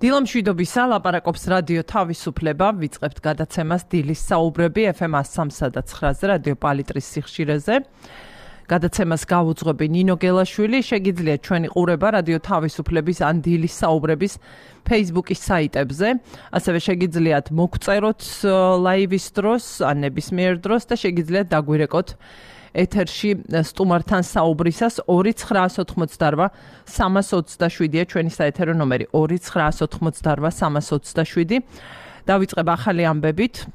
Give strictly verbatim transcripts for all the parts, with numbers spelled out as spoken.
დილამშვიდობისა, ლაპარაკობს რადიო თავისუფლება, ვიწყებთ გადაცემას დილის საუბრები ეფ ემ სამსა და ცხრაზე რადიო პალიტრის სიხშირეზე. გადაცემას გავუძღვები ნინო გელაშვილი, შეგიძლიათ ჩვენი ყურება რადიო თავისუფლების ან დილის საუბრების Facebook-ის საიტებზე, ასევე შეგიძლიათ მოგწეროთ ლაივის დროს, ან ნებისმიერ დროს და შეგიძლიათ დაგვირეკოთ ეთერში სტუმართან საუბრისას ორი ცხრაას ოთხმოცდარვა სამას ოცდაშვიდია ჩვენი საეთერო ნომერი ორი ცხრაას ოთხმოცდარვა სამას ოცდაშვიდი. დავიწყებ ახალი ამბებით.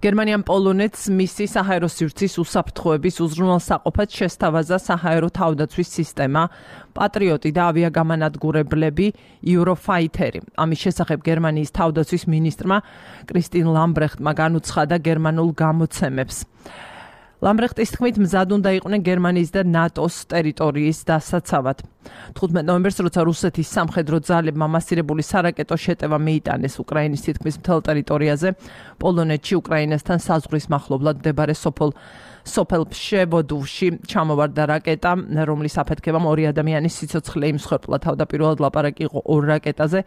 გერმანიამ პოლონეთს მისი საჰაერო სივრცის უსაფრთხოების უზრუნველსაყოფად შესთავაზა საჰაერო თავდაცვის სისტემა პატრიოტი და ავიაგამანადგურებლები იუროფაითერი. ამის შესახებ გერმანიის თავდაცვის მინისტრმა კრისტინ ლამბრეხტმა განუცხადა გერმანულ გამოცემებს. ლამბრეხტის თქმით, მზად უნდა იყვნენ გერმანიის და ნატოს ტერიტორიის დასაცავად. თხუთმეტ ნოემბერს, როცა რუსეთის სამხედრო ძალებმა მასირებული სარაკეტო შეტევა მიიტანეს უკრაინის თითქმის მთელ ტერიტორიაზე, პოლონეთში უკრაინასთან საზღვრის მახლობლად მდებარე სოფელ სოფელ ფშევოდოვში ჩამოვარდა რაკეტა, რომლის აფეთქებამ ორი ადამიანის სიცოცხლე იმსხვერპლა. თავდაპირველად ლაპარაკი იყო ორ რაკეტაზე.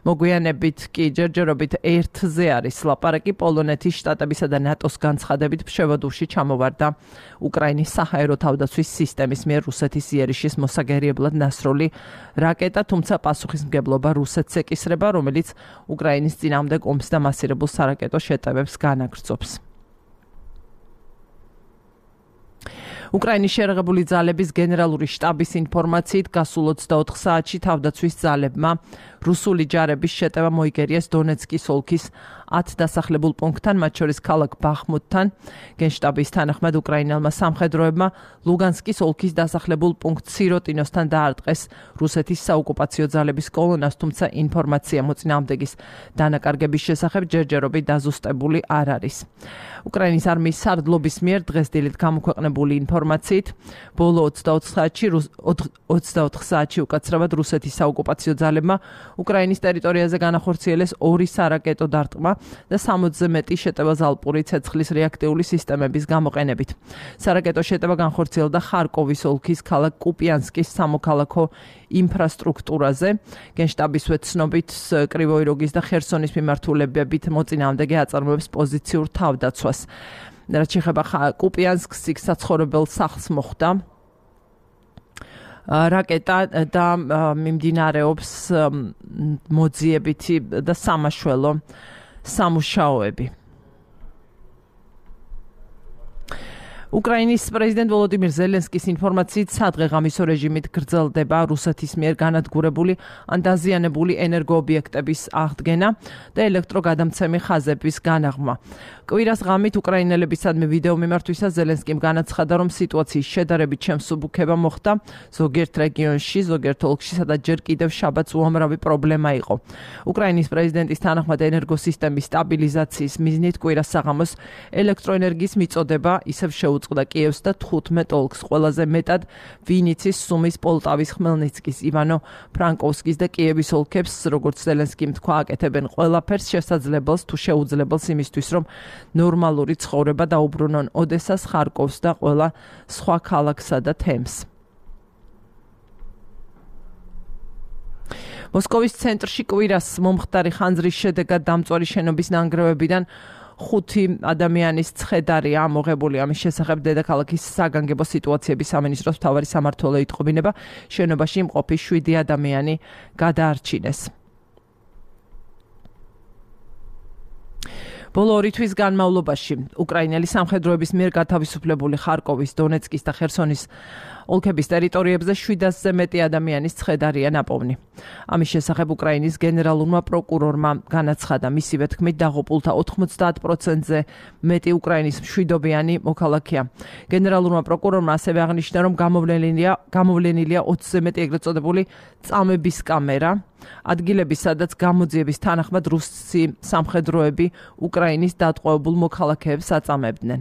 მოგვიანებით კი ჯერჯერობით ერთზე არის ლაპარაკი. პოლონეთის შტატებისა და ნატოს განცხადებით ფშევოდოვში ჩამოვარდა უკრაინის საჰაერო თავდაცვის სისტემის მიერ რუსეთის იერიშის მოსაგერიებლად ნასროლი რაკეტა, თუმცა პასუხისმგებლობა რუსეთს ეკისრება, რომელიც უკრაინის წინააღმდეგ ომს და მასირებულ სარაკეტო შეტევებს განაგრძობს. უკრაინის შერაღებული ძალების გენერალური შტაბის ინფორმაციით გასულ ოცდაოთხ საათში თავდაცვის ძალებმა რუსული ჯარების შეტევა მოიგერიეს დონეცკის ოლქის ათ დასახლებულ პუნქტთან, მათ შორის ქალაქ ბახმუთთან. გენშტაბის თანახმად უკრაინელმა სამხედროებმა ლუგანსკის ოლქის დასახლებულ პუნქტ სიროტინოსთან დაარტყეს რუსეთის საოკუპაციო ძალების კოლონას, თუმცა ინფორმაცია მოწინააღმდეგის დანაკარგების შესახებ ჯერჯერობით დაზუსტებული არ არის. უკრაინის არმიის სარდლობის მიერ დღეს დილით გამოქვეყნებული ინფორმაციით, ბოლო ოცდაოთხ საათში ოცდაოთხ საათში უკაცრავად რუსეთის საოკუპაციო ძალებმა უკრაინის ტერიტორიაზე განახორციელეს ორი სარაკეტო დარტყმა და სამოცზე მეტი შეტევა ზალპური ცეცხლის რეაქტიული სისტემების გამოყენებით. სარაკეტო შეტევა განხორციელდა ხარკოვის ოლქის ქალაქ კუპიანსკის სამოქალაქო ინფრასტრუქტურაზე. გენშტაბისვე ცნობით, კრივოი როგის და ხერსონის მიმართულებებით მოწინააღმდეგე აწარმოებს პოზიციურ თავდაცვას. რაც შეეხება კუპიანსკს, იქ საცხოვრებელ სახლს მოხვდა რაკეტა და მიმდინარეობს მოძიებითი და სამაშველო სამუშაოები. უკრაინის პრეზიდენტ ვოლოდიმირ ზელენსკის ინფორმაციით, სადღეღამისო რეჟიმით გრძელდება რუსეთის მიერ განადგურებული ან დაზიანებული ენერგოობიექტების აღდგენა და ელექტროგადამცემი ხაზების განაღმა. კვირას ღამით უკრაინელებისადმი ვიდეო მიმართვისას ზელენსკიმ განაცხადა, რომ სიტუაციის შედარებით შემსუბუქება მოხდა ზოგიერთ რეგიონში, ზოგიერთ ოლქში, სადაც ჯერ კიდევ შაბათს უამრავი პრობლემა იყო. უკრაინის პრეზიდენტის თანახმად ენერგოსისტემის სტაბილიზაციის მიზნით კვირას საღამოს ელექტროენერგიის მიწოდება ისევ შეუწყდა კიევს და თხუთმეტ ოლქს, ყველაზე მეტად ვინიცის, სუმის, პოლტავის, ხმელნიცკის, ივანო ფრანკოვსკის და კიევის ოლქებს, როგორც ზელენსკიმ თქვა, აკეთებენ ყველაფერს შესაძლებელს თუ შეუძლებელს იმისთვის, რომ ნორმალური ცხოვრება დაუბრუნონ ოდესას, ხარკოვს და ყველა სხვა ქალაქსა და თემს. მოსკოვის ცენტრში კვირას მომხდარი ხანძრის შედეგად დამწვარი შენობის ნანგრევებიდან ხუთი ადამიანის ცხედარია ამოღებული. ამის შესახებ დედაქალაქის საგანგებო სიტუაციების სამინისტროს მთავარი სამმართველო იტყობინება, შენობაში იმყოფი შვიდი ადამიანი გადაარჩინეს. ბოლო ორი თვის განმავლობაში უკრაინელი სამხედროების მიერ გათავისუფლებული ხარკოვის, დონეცკის და ხერსონის ოლქების ტერიტორიებზე შვიდასზე მეტი ადამიანის ცხედარია ნაპოვნი. ამის შესახებ უკრაინის გენერალურმა პროკურორმა განაცხადა, მისივე თქმით, დაღუპულთა ოთხმოცდაათ პროცენტზე მეტი უკრაინის მშვიდობიანი მოქალაქეა. გენერალურმა პროკურორმა ასევე აღნიშნა, რომ გამოვლენილია გამოვლენილია ოცზე მეტი ეგრეთ წოდებული წამების კამერა, ადგილები, სადაც გამოძიების თანახმად რუსი სამხედროები უკრაინის დატყვევებულ მოქალაქეებს აწამებდნენ.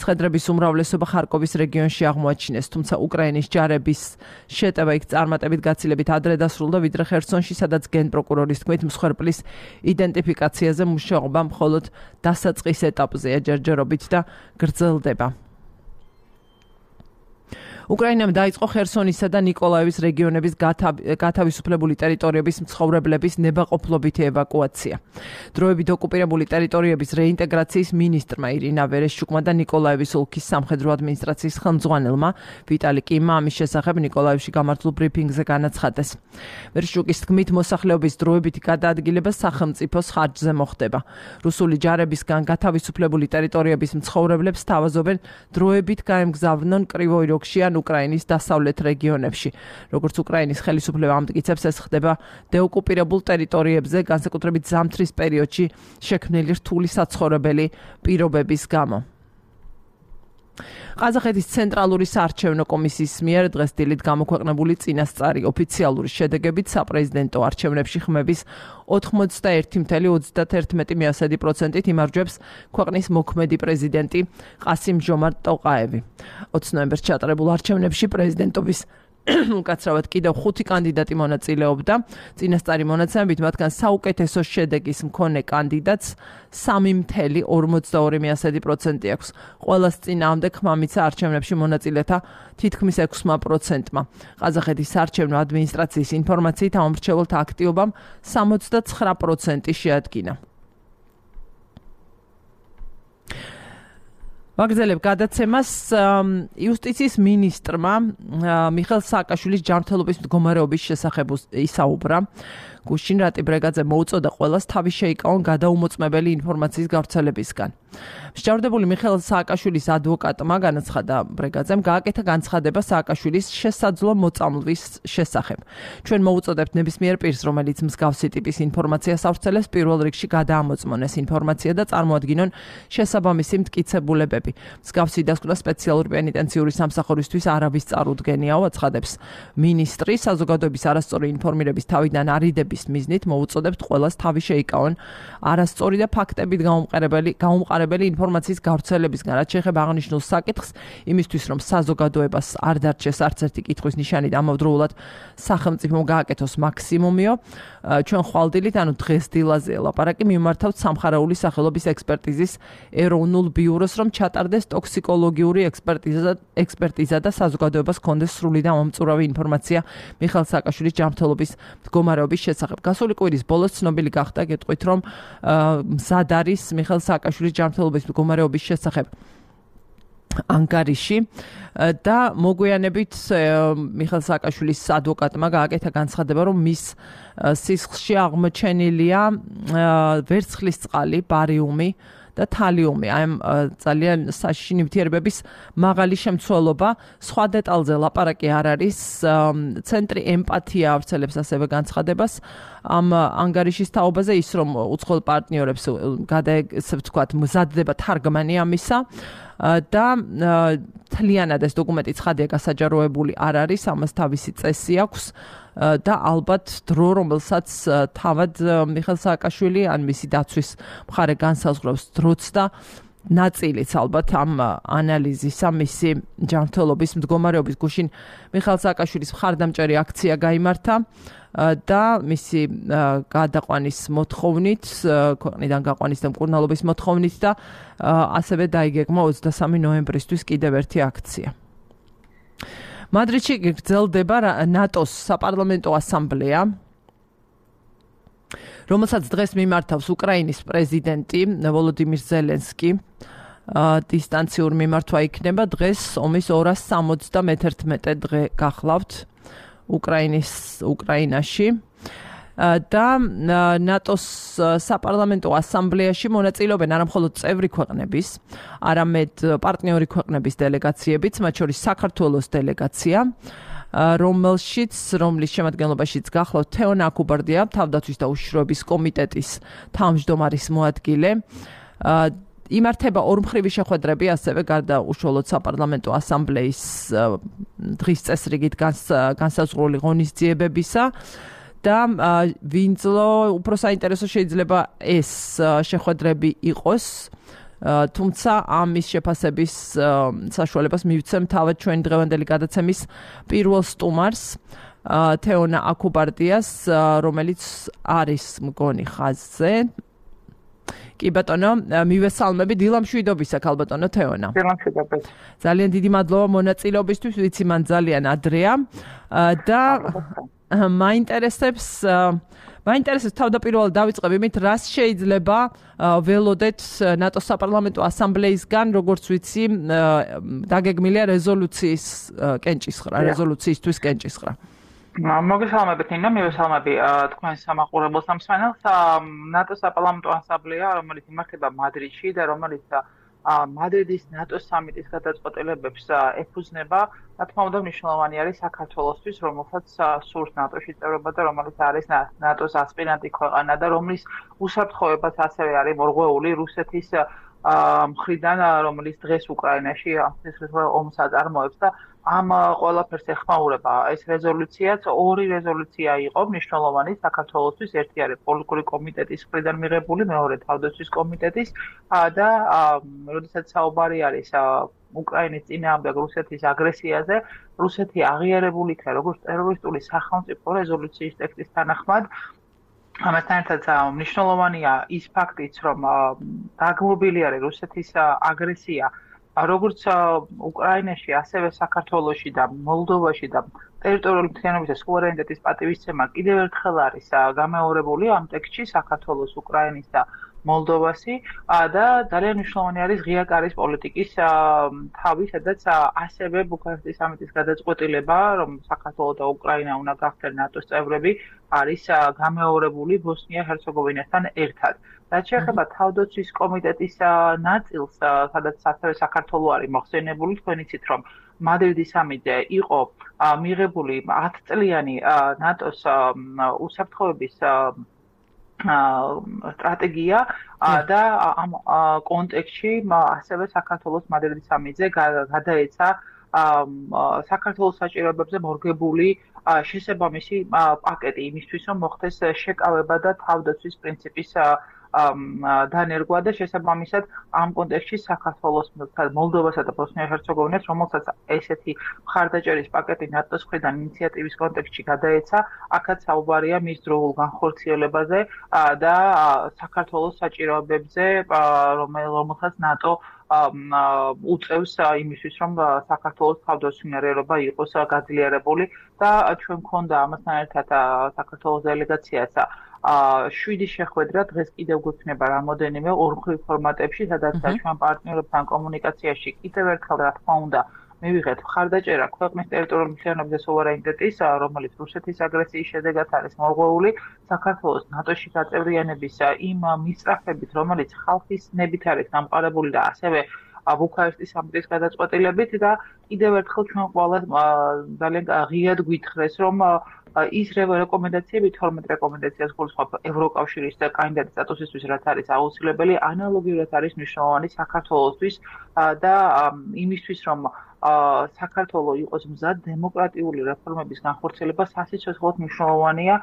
ცხედრების უმრავლესობა ხარკოვის რეგიონში აღმოაჩინეს, თუმცა უკრაინის ჯარების შეტევა იქ წარმატებით გაცილებით ადრე დასრულდა, ვიდრე ხერსონში, სადაც გენპროკურორის თქმით, მსხვერპლის იდენტიფიკაციაზე მუშაობა მხოლოდ დასაწყის ეტაპზეა, ჯერჯერობით და გრძელდება. უკრაინამ დაიწყო ხერსონისა და ნიკოლაევის რეგიონების გათავისუფლებული ტერიტორიების მცხოვრებლების ნებაყოფლობითი ევაკუაცია. დროებით ოკუპირებული ტერიტორიების რეინტეგრაციის მინისტრმა ირინა ვერეშჩუკმა და ნიკოლაევის ოლქის სამხედრო ადმინისტრაციის ხელმძღვანელმა ვიტალი კიმმა ამის შესახებ ნიკოლაევში გამართულ ბრიფინგზე განაცხადეს. ვერეშჩუკის თქმით, მოსახლეობის დროებითი გადაადგილება სახელმწიფოს ხარჯზე მოხდება. რუსული ჯარებისგან გათავისუფლებული ტერიტორიების მცხოვრებლებს თავაზობენ დროებით გაემგზავნონ კრივოი როგში ან უკრაინის დასავლეთ რეგიონებში. როგორც უკრაინის ხელისუფლება ამტკიცებს, ეს ხდება დეოკუპირებულ ტერიტორიებზე, განსაკუთრებით ზამთრის პერიოდში შექმნილი რთული საცხოვრებელი პირობების გამო. ყაზახეთის ცენტრალური საარჩევნო კომისიის მიერ დღეს დილით გამოქვეყნებული წინასწარი ოფიციალური შედეგებით საპრეზიდენტო არჩევნებში ხმების ოთხმოცდაერთი წუთი ოცდაათი პროცენტით იმარჯვებს ქვეყნის მოქმედი პრეზიდენტი ყასიმ ჟომარტ ტოყაევი. ოცი ნოემბერს ჩატარებულ არჩევნებში პრეზიდენტობის უკაცრავად კიდევ ხუთი კანდიდატი მონაწილეობდა. წინასწარი მონაცემებით მათგან საუკეთესო შედეგის მქონე კანდიდატს სამი წუთი ორმოცდაორი პროცენტი აქვს. ყველას წინააღმდეგ ხმა მიცა არჩევნებში მონაწილეთა თითქმის ექვსი პროცენტმა. ყაზახეთის საარჩევნო ადმინისტრაციის ინფორმაციით ამ მრჩეველთა აქტივობამ სამოცდაცხრა პროცენტი შეადგინა. ვაგრძელებ გადაცემას. იუსტიციის მინისტრმა მიხეილ სააკაშვილის ჯანმრთელობის მდგომარეობის შესახებ ისაუბრა. გუშინ რატი ბრეგაძე მოუწოდა ყველას თავი შეიკავონ გადაუმოწმებელი ინფორმაციის გავრცელებისგან. მსჯავრდებული მიხეილ სააკაშვილის ადვოკატმა განაცხადა ბრეგაძემ გააკეთა განცხადება სააკაშვილის შესაძლო მოწამვლის შესახებ. ჩვენ მოუწოდებთ ნებისმიერ პირს, რომელიც მსგავსი ტიპის ინფორმაციას ავრცელებს, პირველ რიგში გადაამოწმონ ეს ინფორმაცია და წარმოადგინონ შესაბამისი მტკიცებულებები. მსგავსი დასკვნა სპეციალური პენიტენციური სამსახურისთვის არავის წარუდგენიაო, აცხადებს მინისტრი. საზოგადოების არასწორი ინფორმირების თავიდან არიდების მიზნით მოუწოდებთ ყველას თავი შეიკავონ არასწორი და ფაქტებით გაუმყარებელი გაუმყარებელი ინფორმაციის გავრცელებისგან, რაც შეეხება აღნიშნულ საკითხს, იმისთვის რომ საზოგადოებას არ დარჩეს არც ერთი კითხვის ნიშანი და ამავდროულად სახელმწიფომ გააკეთოს მაქსიმუმიო. ჩვენ ხვალდილით, ანუ დღეს დილაზე ლაპარაკი მიმართავთ სამხარეული სახელობის ექსპერტიზის ეროვნულ ბიუროს, რომ ჩატარდეს ტოქსიკოლოგიური ექსპერტიზა ექსპერტიზა და საზოგადოებას ჰქონდეს სრული და მომწურავი ინფორმაცია მიხეილ სააკაშვილის ჯანმრთელობის მდგომარეობის შესახებ. გასული კვირის ბოლოს ცნობილი გახდა, გეტყვით, რომ მზად არის მიხეილ სააკაშვილის ჯანმრთელობის მდგომარეობის შესახებ ანგარიში და მოგვიანებით მიხეილ სააკაშვილის ადვოკატმა გააკეთა განცხადება, რომ მის სისხლში აღმოჩენილია ვერცხლის წყალი, ბარიუმი და თალიუმი. აი ძალიან საშიში ნივთიერებების მაღალი შემცველობა. სხვა დეტალზე ლაპარაკი არ არის. ცენტრი ემპათია ავრცელებს ასევე განცხადებას ამ ანგარიშის თაობაზე, ის რომ უცხოელ პარტნიორებს გადაეცემთ, თქვათ, მზადდება თარგმანი ამისა და თლიანად ეს დოკუმენტი ცხადია გასაჯაროებული არ არის, ამას თავისი წესი აქვს და ალბათ დრო, რომელსაც თავად მიხეილ სააკაშვილი ან მისი დაცვის მხარე განსაზღვრავს დროც და ნაწილიც ალბათ ამ ანალიზისა მისი ჯანმრთელობის მდგომარეობის. გუშინ მიხეილ სააკაშვილის მხარდამჭერი აქცია გაიმართა და მისი გადაყვანის მოთხოვნით, ქვეყნიდან გაყვანის და მკურნალობის მოთხოვნით და ასევე დაიგეგმა ოცდასამი ნოემბრისთვის კიდევ ერთი აქცია. მადრიდში გრძელდება ნატოს საპარლამენტო ასამბლეა, რომელსაც დღეს მიმართავს უკრაინის პრეზიდენტი ვოლოდიმირ ზელენსკი. დისტანციურ მიმართვა იქნება. დღეს ომის ორას სამოცდამეთერთმეტე დღე გახლავთ უკრაინის უკრაინაში და ნატოს საპარლამენტო ასამბლეაში მონაწილეობენ არა მხოლოდ წევრი ქვეყნების, არამედ პარტნიორი ქვეყნების დელეგაციებიც, მათ შორის საქართველოს დელეგაცია, რომელშიც რომლის შემადგენლობაშიც გახლავთ თეონა აკუბარდია, თავდაცვის და უშიშროების კომიტეტის თავმჯდომარის მოადგილე. იმართება ორმხრივი შეხვედრები, ასევე გარდა უშუალოდ საპარლამენტო ასამბლეის დღის წესრიგით განსაზღვრული ღონისძიებებისა და ვინძლო უფრო საინტერესო შეიძლება ეს შეხვედრები იყოს, თუმცა ამის შეფასების საშუალებას მივცემ თავად ჩვენი დღევანდელი გადაცემის პირველ სტუმარს, თეონა აკუბარდიას, რომელიც არის მგონი ხაზზე. კი ბატონო, მივესალმები დილამშვიდობისა ქალბატონო თეონა. დილამშვიდობთ. ძალიან დიდი მადლობა მონაწილეობისთვის, ვიცი მან ძალიან ადრეა და მაინტერესებს მაინტერესებს თავდაპირველად დავიწყებ იმით, რას შეიძლება ველოდეთ ნატოს საპარლამენტო ასამბლეისგან, როგორც ვიცი, დაგეგმილია რეზოლუციის კენჭისყრა, რეზოლუციისთვის კენჭისყრა. მოგესალმებით ნინო, მივესალმები თქვენ სამაყურებელს და მსმენელს. ნატოს საპარლამენტო ასამბლეა, რომელიც იმართება მადრიდში და რომელიც მადრიდის ნატოს სამიტის გადაწყვეტილებებს ეფუძნება, რა თქმა უნდა, მნიშვნელოვანი არის საქართველოსთვის, რომელსაც სურს ნატოში წევრობა და რომელიც არის ნატოს ასპირანტი ქვეყანა და რომლის უსაფრთხოებაც ასევე არის მორღვეული რუსეთის მხრიდან, რომელიც დღეს უკრაინაში ომს აწარმოებს და ამ ყველაფერს ეხმაურება ეს რეზოლუციაც. ორი რეზოლუცია იყო მნიშვნელოვანი საქართველოსთვის, ერთი არის პოლიტიკური კომიტეტის მხრიდან მიღებული, მეორე თავდაცვის კომიტეტის და როდესაც საუბარი არის უკრაინის წინააღმდეგ რუსეთის აგრესიაზე, რუსეთი აღიარებული იქნა როგორც ტერორისტული სახელმწიფო რეზოლუციის ტექსტის თანახმად. ამასთან ერთად მნიშვნელოვანია ის ფაქტიც, რომ დაგმობილი არის რუსეთის აგრესია როგორც უკრაინაში, ასევე საქართველოში და მოლდოვაში და ტერიტორიული მთლიანობის და სუვერენიტეტის პატივისცემა კიდევ ერთხელ არის გამეორებული ამ ტექსტში საქართველოს, უკრაინის და მოლდოვასი და ძალიან მნიშვნელოვანი არის ღია კარის პოლიტიკის თავი, სადაც ასევე ბუქარესტის სამიტის გადაწყვეტილება, რომ საქართველო და უკრაინა უნდა გახდნენ ნატოს წევრები, არის გამეორებული ბოსნია-ჰერცეგოვინასთან ერთად. რაც შეეხება თავდაცვის კომიტეტის ნაწილს, სადაც ასევე საქართველო არის მოხსენებული, თქვენ იცით, რომ მადრიდის სამიტზე იყო მიღებული ათწლიანი ნატოს უსაფრთხოების სტრატეგია და ამ კონტექსტში ასევე საქართველოს მადრიდის სამიტზე გადაეცა საქართველოს საჭიროებებზე მორგებული შესაბამისი პაკეტი იმისთვის, რომ მოხდეს შეკავება და თავდაცვის პრინციპის დანერგვა და შესაბამისად ამ კონტექსტში საქართველოს, მოლდოვასა და ბოსნია-ჰერცეგოვინას, რომელსაც ესეთი მხარდაჭერის პაკეტი ნატოს მხრიდან ინიციატივის კონტექსტში გადაეცა, აქაც საუბარია მის დროულ განხორციელებაზე და საქართველოს საჭიროებებზე, რომელსაც ნატო უწევს იმისთვის, რომ საქართველოს თავდაცვინარიერობა იყოს გაძლიერებული და ჩვენ მქონდა ამასთან ერთად საქართველოს დელეგაციაც შვიდი შეხვედრა დღეს კიდევ გვექნება რამოდენიმე ორმხრივ ფორმატებში, სადაც ჩვენ პარტნიორებთან კომუნიკაციაში კიდევ ერთხელ რა თქმა უნდა მივიღეთ მხარდაჭერა ქვეყნის ტერიტორიული მთლიანობის და სუვერენიტეტის, რომელიც რუსეთის აგრესიის შედეგად არის მორღვეული, საქართველოს ნატოში გაწევრიანების იმ მისწრაფებით, რომელიც ხალხის ნებით არის დამყარებული და ასევე ბუქარესტის სამიტის გადაწყვეტილებით და კიდევ ერთხელ ჩვენ ყველა ძალიან ღიად გვითხრეს, რომ ის რეკომენდაციები, თორმეტ რეკომენდაციას გულისხმობ ევროკავშირის კანდიდატის სტატუსისთვის, რაც არის აუცილებელი, ანალოგიურად არის მნიშვნელოვანი საქართველოსთვის და იმისთვის, რომ საქართველო იყოს მზად დემოკრატიული რეფორმების განხორციელება სასიცოცხლოდ მნიშვნელოვანია,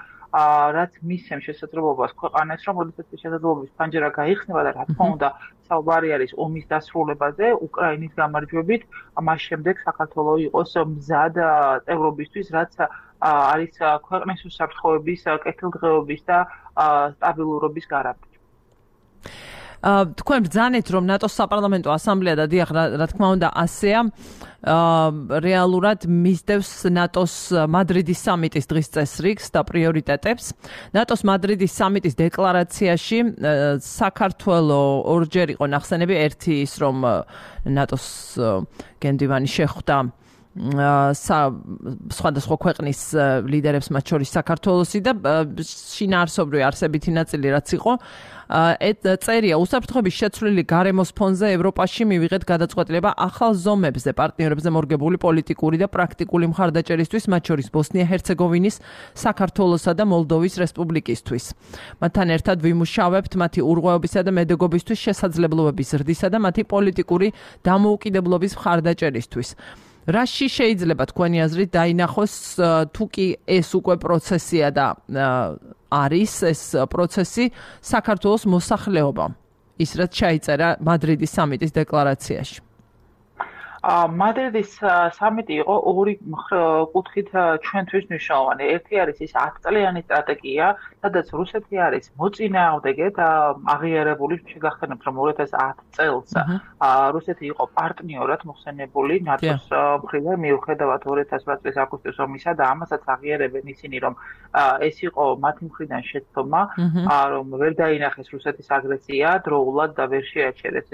რაც მისცემს შესაძლებლობას ქვეყანას, რომ როდესაც შესაძლებლობის ფანჯარა გაიხსნება და რა თქმა უნდა საუბარი არის ომის დასრულებაზე, უკრაინის გამარჯვებით, მას შემდეგ საქართველო იყოს მზად წევრობისთვის, რაც არის ქვეყნის უსაფრთხოების, კეთილდღეობის და სტაბილურობის გარანტი. თქვენ ბრძანეთ, რომ ნატოს საპარლამენტო ასამბლეა და დიახ, რა თქმა უნდა, ასეა რეალურად მისდევს ნატოს მადრიდის სამიტის დღის წესრიგს და პრიორიტეტებს. ნატოს მადრიდის სამიტის დეკლარაციაში საქართველო ორჯერ იყო ნახსენები, ერთი ის, რომ ნატოს გენდივანი შეხვდა სხვადასხვა ქვეყნის ლიდერებს, მათ შორის საქართველოსი და შინაარსობრივი არსებითი ნაწილი რაც იყო, წერია უსაფრთხოების შეცვლილი გარემოს ფონზე ევროპაში მივიღეთ გადაწყვეტილება ახალ ზომებზე პარტნიორებზე მორგებული პოლიტიკური და პრაქტიკული მხარდაჭერისთვის, მათ შორის ბოსნია-ჰერცეგოვინის, საქართველოსა და მოლდოვის რესპუბლიკისთვის. მათთან ერთად ვიმუშავებთ მათი ურღვეობისა და მედეგობისთვის შესაძლებლობების ზრდისა და მათი პოლიტიკური დამოუკიდებლობის მხარდაჭერისთვის. რაში შეიძლება თქვენი აზრით დაინახოს თუ კი ეს უკვე პროცესია და არის ეს პროცესი საქართველოს მოსახლეობა, ის რაც ჩაიწერა მადრიდის სამიტის დეკლარაციაში? მადრიდის სამიტი იყო ორი კუთხით ჩვენთვის მნიშვნელოვანი. ერთი არის ის ათ წლიანი სტრატეგია, სადაც რუსეთი არის მოწინააღმდეგედ აღიარებული. შეგახსენებთ, რომ ორი ათას ათი წელს რუსეთი იყო პარტნიორად მოხსენებული ნატოს მხრიდან, მიუხედავად ორი ათას ოთხ წლის აგვისტოს ომისა და ამასაც აღიარებენ ისინი, რომ ეს იყო მათი მხრიდან შეცდომა, რომ ვერ დაინახეს რუსეთის აგრესია დროულად და ვერ შეაჩერეს,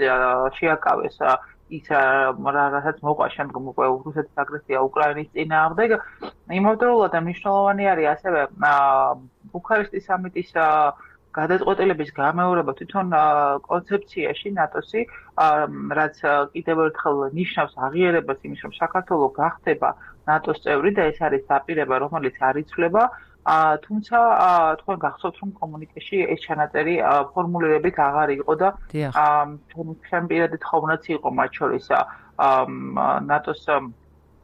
შეაკავეს ის რასაც მოყვა შემდგომ უკვე რუსეთის აგრესია უკრაინის წინააღმდეგ. იმავდროულად მნიშვნელოვანი არის ასევე ბუქარესტის სამიტის გადაწყვეტილების გამეორება თვითონ კონცეფციაში ნატოსი, რაც კიდევ ერთხელ ნიშნავს აღიარებას იმის, რომ საქართველოს გახდება ნატოს წევრი და ეს არის დაპირება, რომელიც არ იცვლება. თუმცა თქვენ გახსოვთ, რომ კომუნიკეში ეს ჩანაწერი ფორმულირებით აღარ იყო და ჩვენ პირადი თხოვნაც იყო მათ შორის ნატოს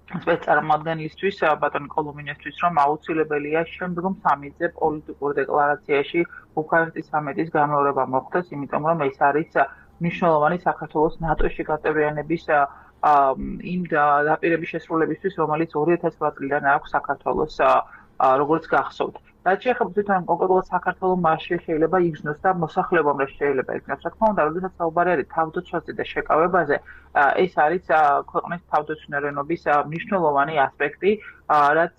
სპეცწარმოადგენლისთვის ბატონი კოლომინესთვის, რომ აუცილებელია შემდგომ სამიტზე პოლიტიკურ დეკლარაციაში ბუქარესტის სამიტის გამეორება მოხდეს, იმიტომ რომ ეს არის მნიშვნელოვანი საქართველოს ნატოში გაწევრიანების იმ დაპირების შესრულებისთვის, რომელიც ორი ათას ოთხ წლიდან აქვს საქართველოს როგორც გახსოვთ. რაც შეეხება თვითონ კონკრეტულად საქართველოს მასში შეიძლება იგრძნოს და მოსახლეობამ რა შეიძლება იგრძნოს. რა თქმა უნდა, როდესაც საუბარი არის თავდაცვაზე და შეკავებაზე, ეს არის ქვეყნის თავდაცვნერენობის მნიშვნელოვანი ასპექტი, რაც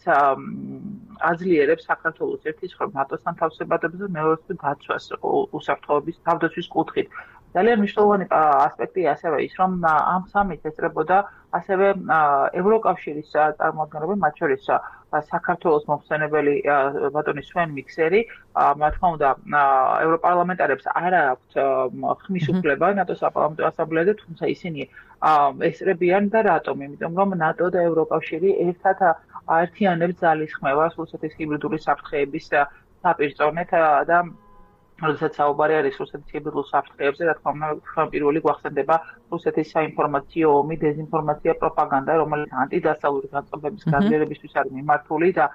აძლიერებს საქართველოს ერთის მხრივ ნატოსთან თავსებადობას და მეორეს მხრივ დაცვას უსაფრთხოების თავდაცვის კუთხით. ძალიან მნიშვნელოვანი ასპექტი ასევე ის, რომ ამ სამიტს ესწრებოდა ასევე ევროკავშირის წარმომადგენლები, მათ შორის საქართველოს მომხსენებელი ბატონი სვენ მიქსერი, მათ თქმა უნდა, ევროპარლამენტარებს არ აქვთ ხმის უფლება ნატოს საპარლამენტო ასამბლეაზე, თუმცა ისინი ესწრებიან და რატომ? იმიტომ რომ ნატო და ევროკავშირი ერთად აერთიანებს ძალისხმევას რუსეთის ჰიბრიდული საფრთხეების საპირწონეთ და როდესაც საუბარი არის რუსეთის ჰიბრიდულ საფრთხეებზე, რა თქმა უნდა, პირველი გვახსენდება რუსეთის საინფორმაციო ომი, დეზინფორმაცია, პროპაგანდა, რომელიც ანტიდასავლური განწყობების გაძლიერებისთვის არის მიმართული და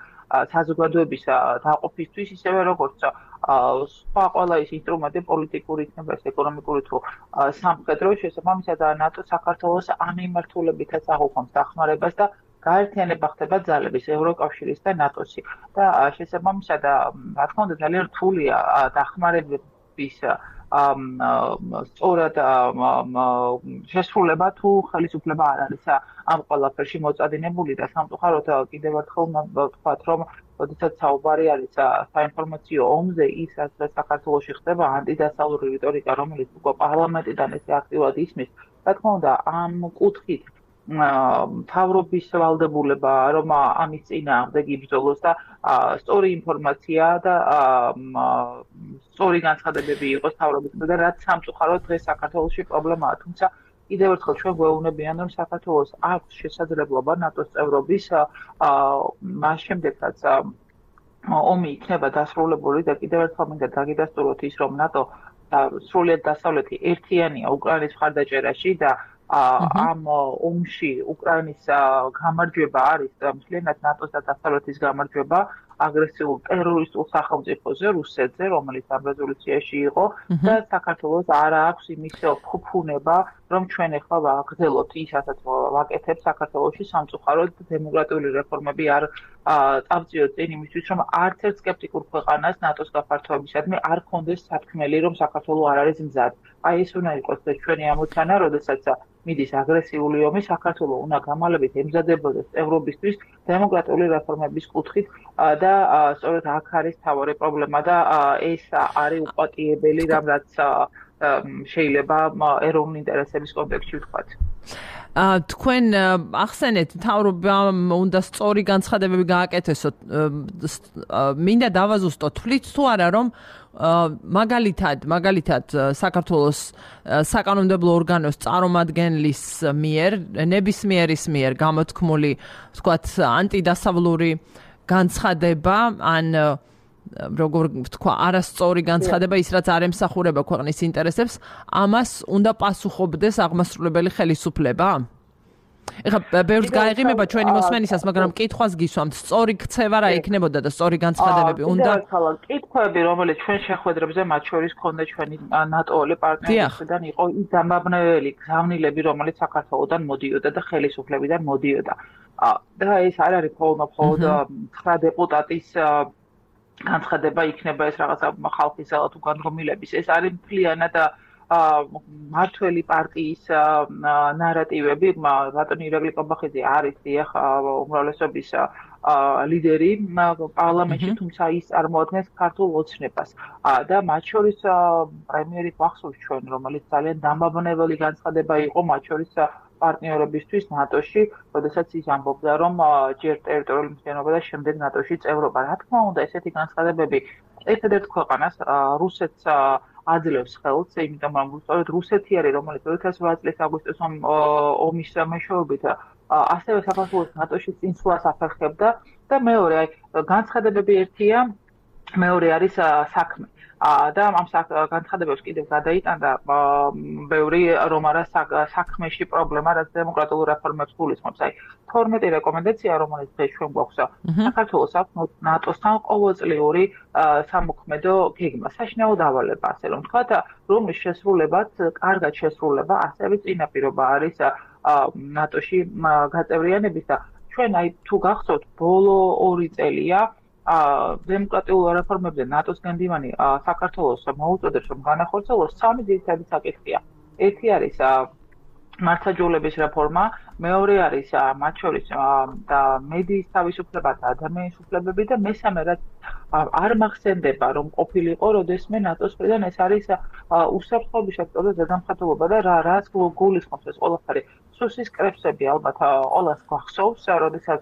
საზოგადოების დაყოფისთვის, ისევე როგორც სხვა ყველა ის ინსტრუმენტი პოლიტიკური იქნება, ეს ეკონომიკური თუ სამხედრო, შესაბამისად ნატო საქართველოს ამ მიმართულებითაც აღუქვამს დახმარებას და გაერთიანება ხდება ძალების ევროკავშირის და ნატოსი და შესაბამისად რა თქმა უნდა ძალიან რთულია დახმარების სწორად შესრულება თუ ხელისუფლება არ არის ამ ყველაფერში მოწადინებული და სამწუხაროდ კიდევ ერთხელ ვთქვათ, რომ როდესაც საუბარი არის საინფორმაციო ომზე, ის რაც საქართველოში ხდება ანტიდასავლური რიტორიკა, რომელიც უკვე პარლამენტიდან ესე აქტიურად ისმის, რა თქმა უნდა ამ კუთხით მთავრობის ვალდებულება, რომ ამის წინააღმდეგ იბრძოლოს და სწორი ინფორმაცია და სწორი განცხადებები იყოს მთავრობისგან და რაც სამწუხაროდ დღეს საქართველოში პრობლემაა. თუმცა კიდევ ერთხელ ჩვენ გვეუბნებიან, რომ საქართველოს აქვს შესაძლებლობა ნატოს წევრობის მას შემდეგ, რაც ომი იქნება დასრულებული და კიდევ ერთხელ მინდა დაგიდასტუროთ ის, რომ ნატო სრულიად დასავლეთი ერთიანია უკრაინის მხარდაჭერაში და ამ ომში უკრაინის გამარჯვება არის მთლიანად ნატოს და დასავლეთის გამარჯვება აგრესიულ ტერორისტულ სახელმწიფოზე, რუსეთზე, რომელიც ამ რეზოლუციაში იყო და საქართველოს არ აქვს იმის ფუფუნება, რომ ჩვენ ახლა ვაგრძელოთ ისაც ვაკეთებს საქართველოში სამწუხაროდ დემოკრატიული რეფორმები არ წავწიოთ წინ იმისთვის, რომ არც ერთ სკეპტიკურ ქვეყანას ნატოს გაფართოებისადმი არ ქონდეს სათქმელი, რომ საქართველო არ არის მზად. აი ეს უნდა იყოს ჩვენი ამოცანა, როდესაც მიდის აგრესიული ომი, საქართველო უნდა გამალებით ემზადებოდეს წევრობისთვის დემოკრატიული რეფორმების კუთხით და სწორედ აქ არის მთავარი პრობლემა და ეს არის უპატიებელი რამ, რაც შეიძლება ეროვნული ინტერესების კონტექსტში ვთქვათ. თქვენ ახსენეთ, მთავრობამ უნდა სწორი განცხადებები გააკეთესოთ. მინდა დავაზუსტოთ, თვლით თუ არა, რომ მაგალითად, მაგალითად საქართველოს საკანონმდებლო ორგანოს წარმომადგენლის მიერ, ნებისმიერის მიერ გამოთქმული, ვთქვათ, ანტიდასავლური განცხადება, ან როგორ ვთქვა, არასწორი განცხადება, ის რაც არ ემსახურება ქვეყნის ინტერესებს, ამას უნდა პასუხობდეს აღმასრულებელი ხელისუფლება? ეხლა ბევრს გაეღიმება ჩვენი მოსმენისას, მაგრამ კითხვას გისვამთ, სწორი ქცევა რა იქნებოდა და სწორი განცხადებები უნდა? კითხვები, რომელიც ჩვენ შეხვედრებზე მათ შორის ქონდა ჩვენი ნატოელი პარტნიორებიდან იყო ის დამაბნეველი გზავნილები, რომელიც საქართველოსდან მოდიოდა და ხელისუფლებიდან მოდიოდა. და ეს არ არის მხოლოდ ცხრა დეპუტატის განცხადება იქნება ეს რაღაცა ხალხის თუ განდგომილების. ეს არის მთლიანად მართველი პარტიის ნარატივები, ბატონი ირაკლი კობახიძე არის დიახ უმრავლესობის ლიდერი პარლამენტში, თუმცა ის წარმოადგენს ქართულ ოცნებას. და მათ შორის პრემიერი გახსოვს ჩვენ, რომელიც ძალიან დამაბნეველი განცხადება იყო მათ შორის პარტნიორებისთვის ნატოში, როდესაც ის ამბობდა, რომ ჯერ ტერიტორიული მთლიანობა და შემდეგ ნატოში წევრობა. რა თქმა უნდა, ესეთი განცხადებები ერთადერთ ქვეყანას რუსეთს აძლევს ხელს, იმიტომ რომ სწორედ რუსეთი არის, რომელიც ორი ათას ოთხ წლის აგვისტოს ომის მეშვეობით ასევე საქართველოს ნატოში წინსვლას აფერხებდა და მეორე, აი განცხადებები ერთია, მეორე არის საქმე. და ამ განცხადებებს კიდევ გადაიტანდა ბევრი რომ არა საქმეში პრობლემა, რაც დემოკრატიულ რეფორმებს გულისხმობს. აი თორმეტი რეკომენდაცია, რომელიც დღეს ჩვენ გვაქვს საქართველოს აქვს ნატოსთან ყოველწლიური სამოქმედო გეგმა, საშინაო დავალება, ასე რომ ვთქვათ, რომლის შესრულებაც, კარგად შესრულება, ასევე წინაპირობა არის ნატოში გაწევრიანების და ჩვენ აი თუ გახსოვთ, ბოლო ორი წელია დემოკრატიულ რეფორმებზე ნატოს განდივანი საქართველოს მოუწოდებს რომ განახორციელოს სამი ძირითადი საკითხია. ერთი არის მართლმსაჯულების რეფორმა, მეორე არის მათ შორის და მედიის თავისუფლება და ადამიანის უფლებები და მესამე რაც არ მახსენდება რომ ყოფილიყო როდესმე ნატოს მხრიდან ეს არის უსაფრთხოების სექტორის ზედამხედველობა და რა რაც გულისხმობს ეს ყველაფერი. სუსის კრებსები ალბათ ყველას გახსოვს, როდესაც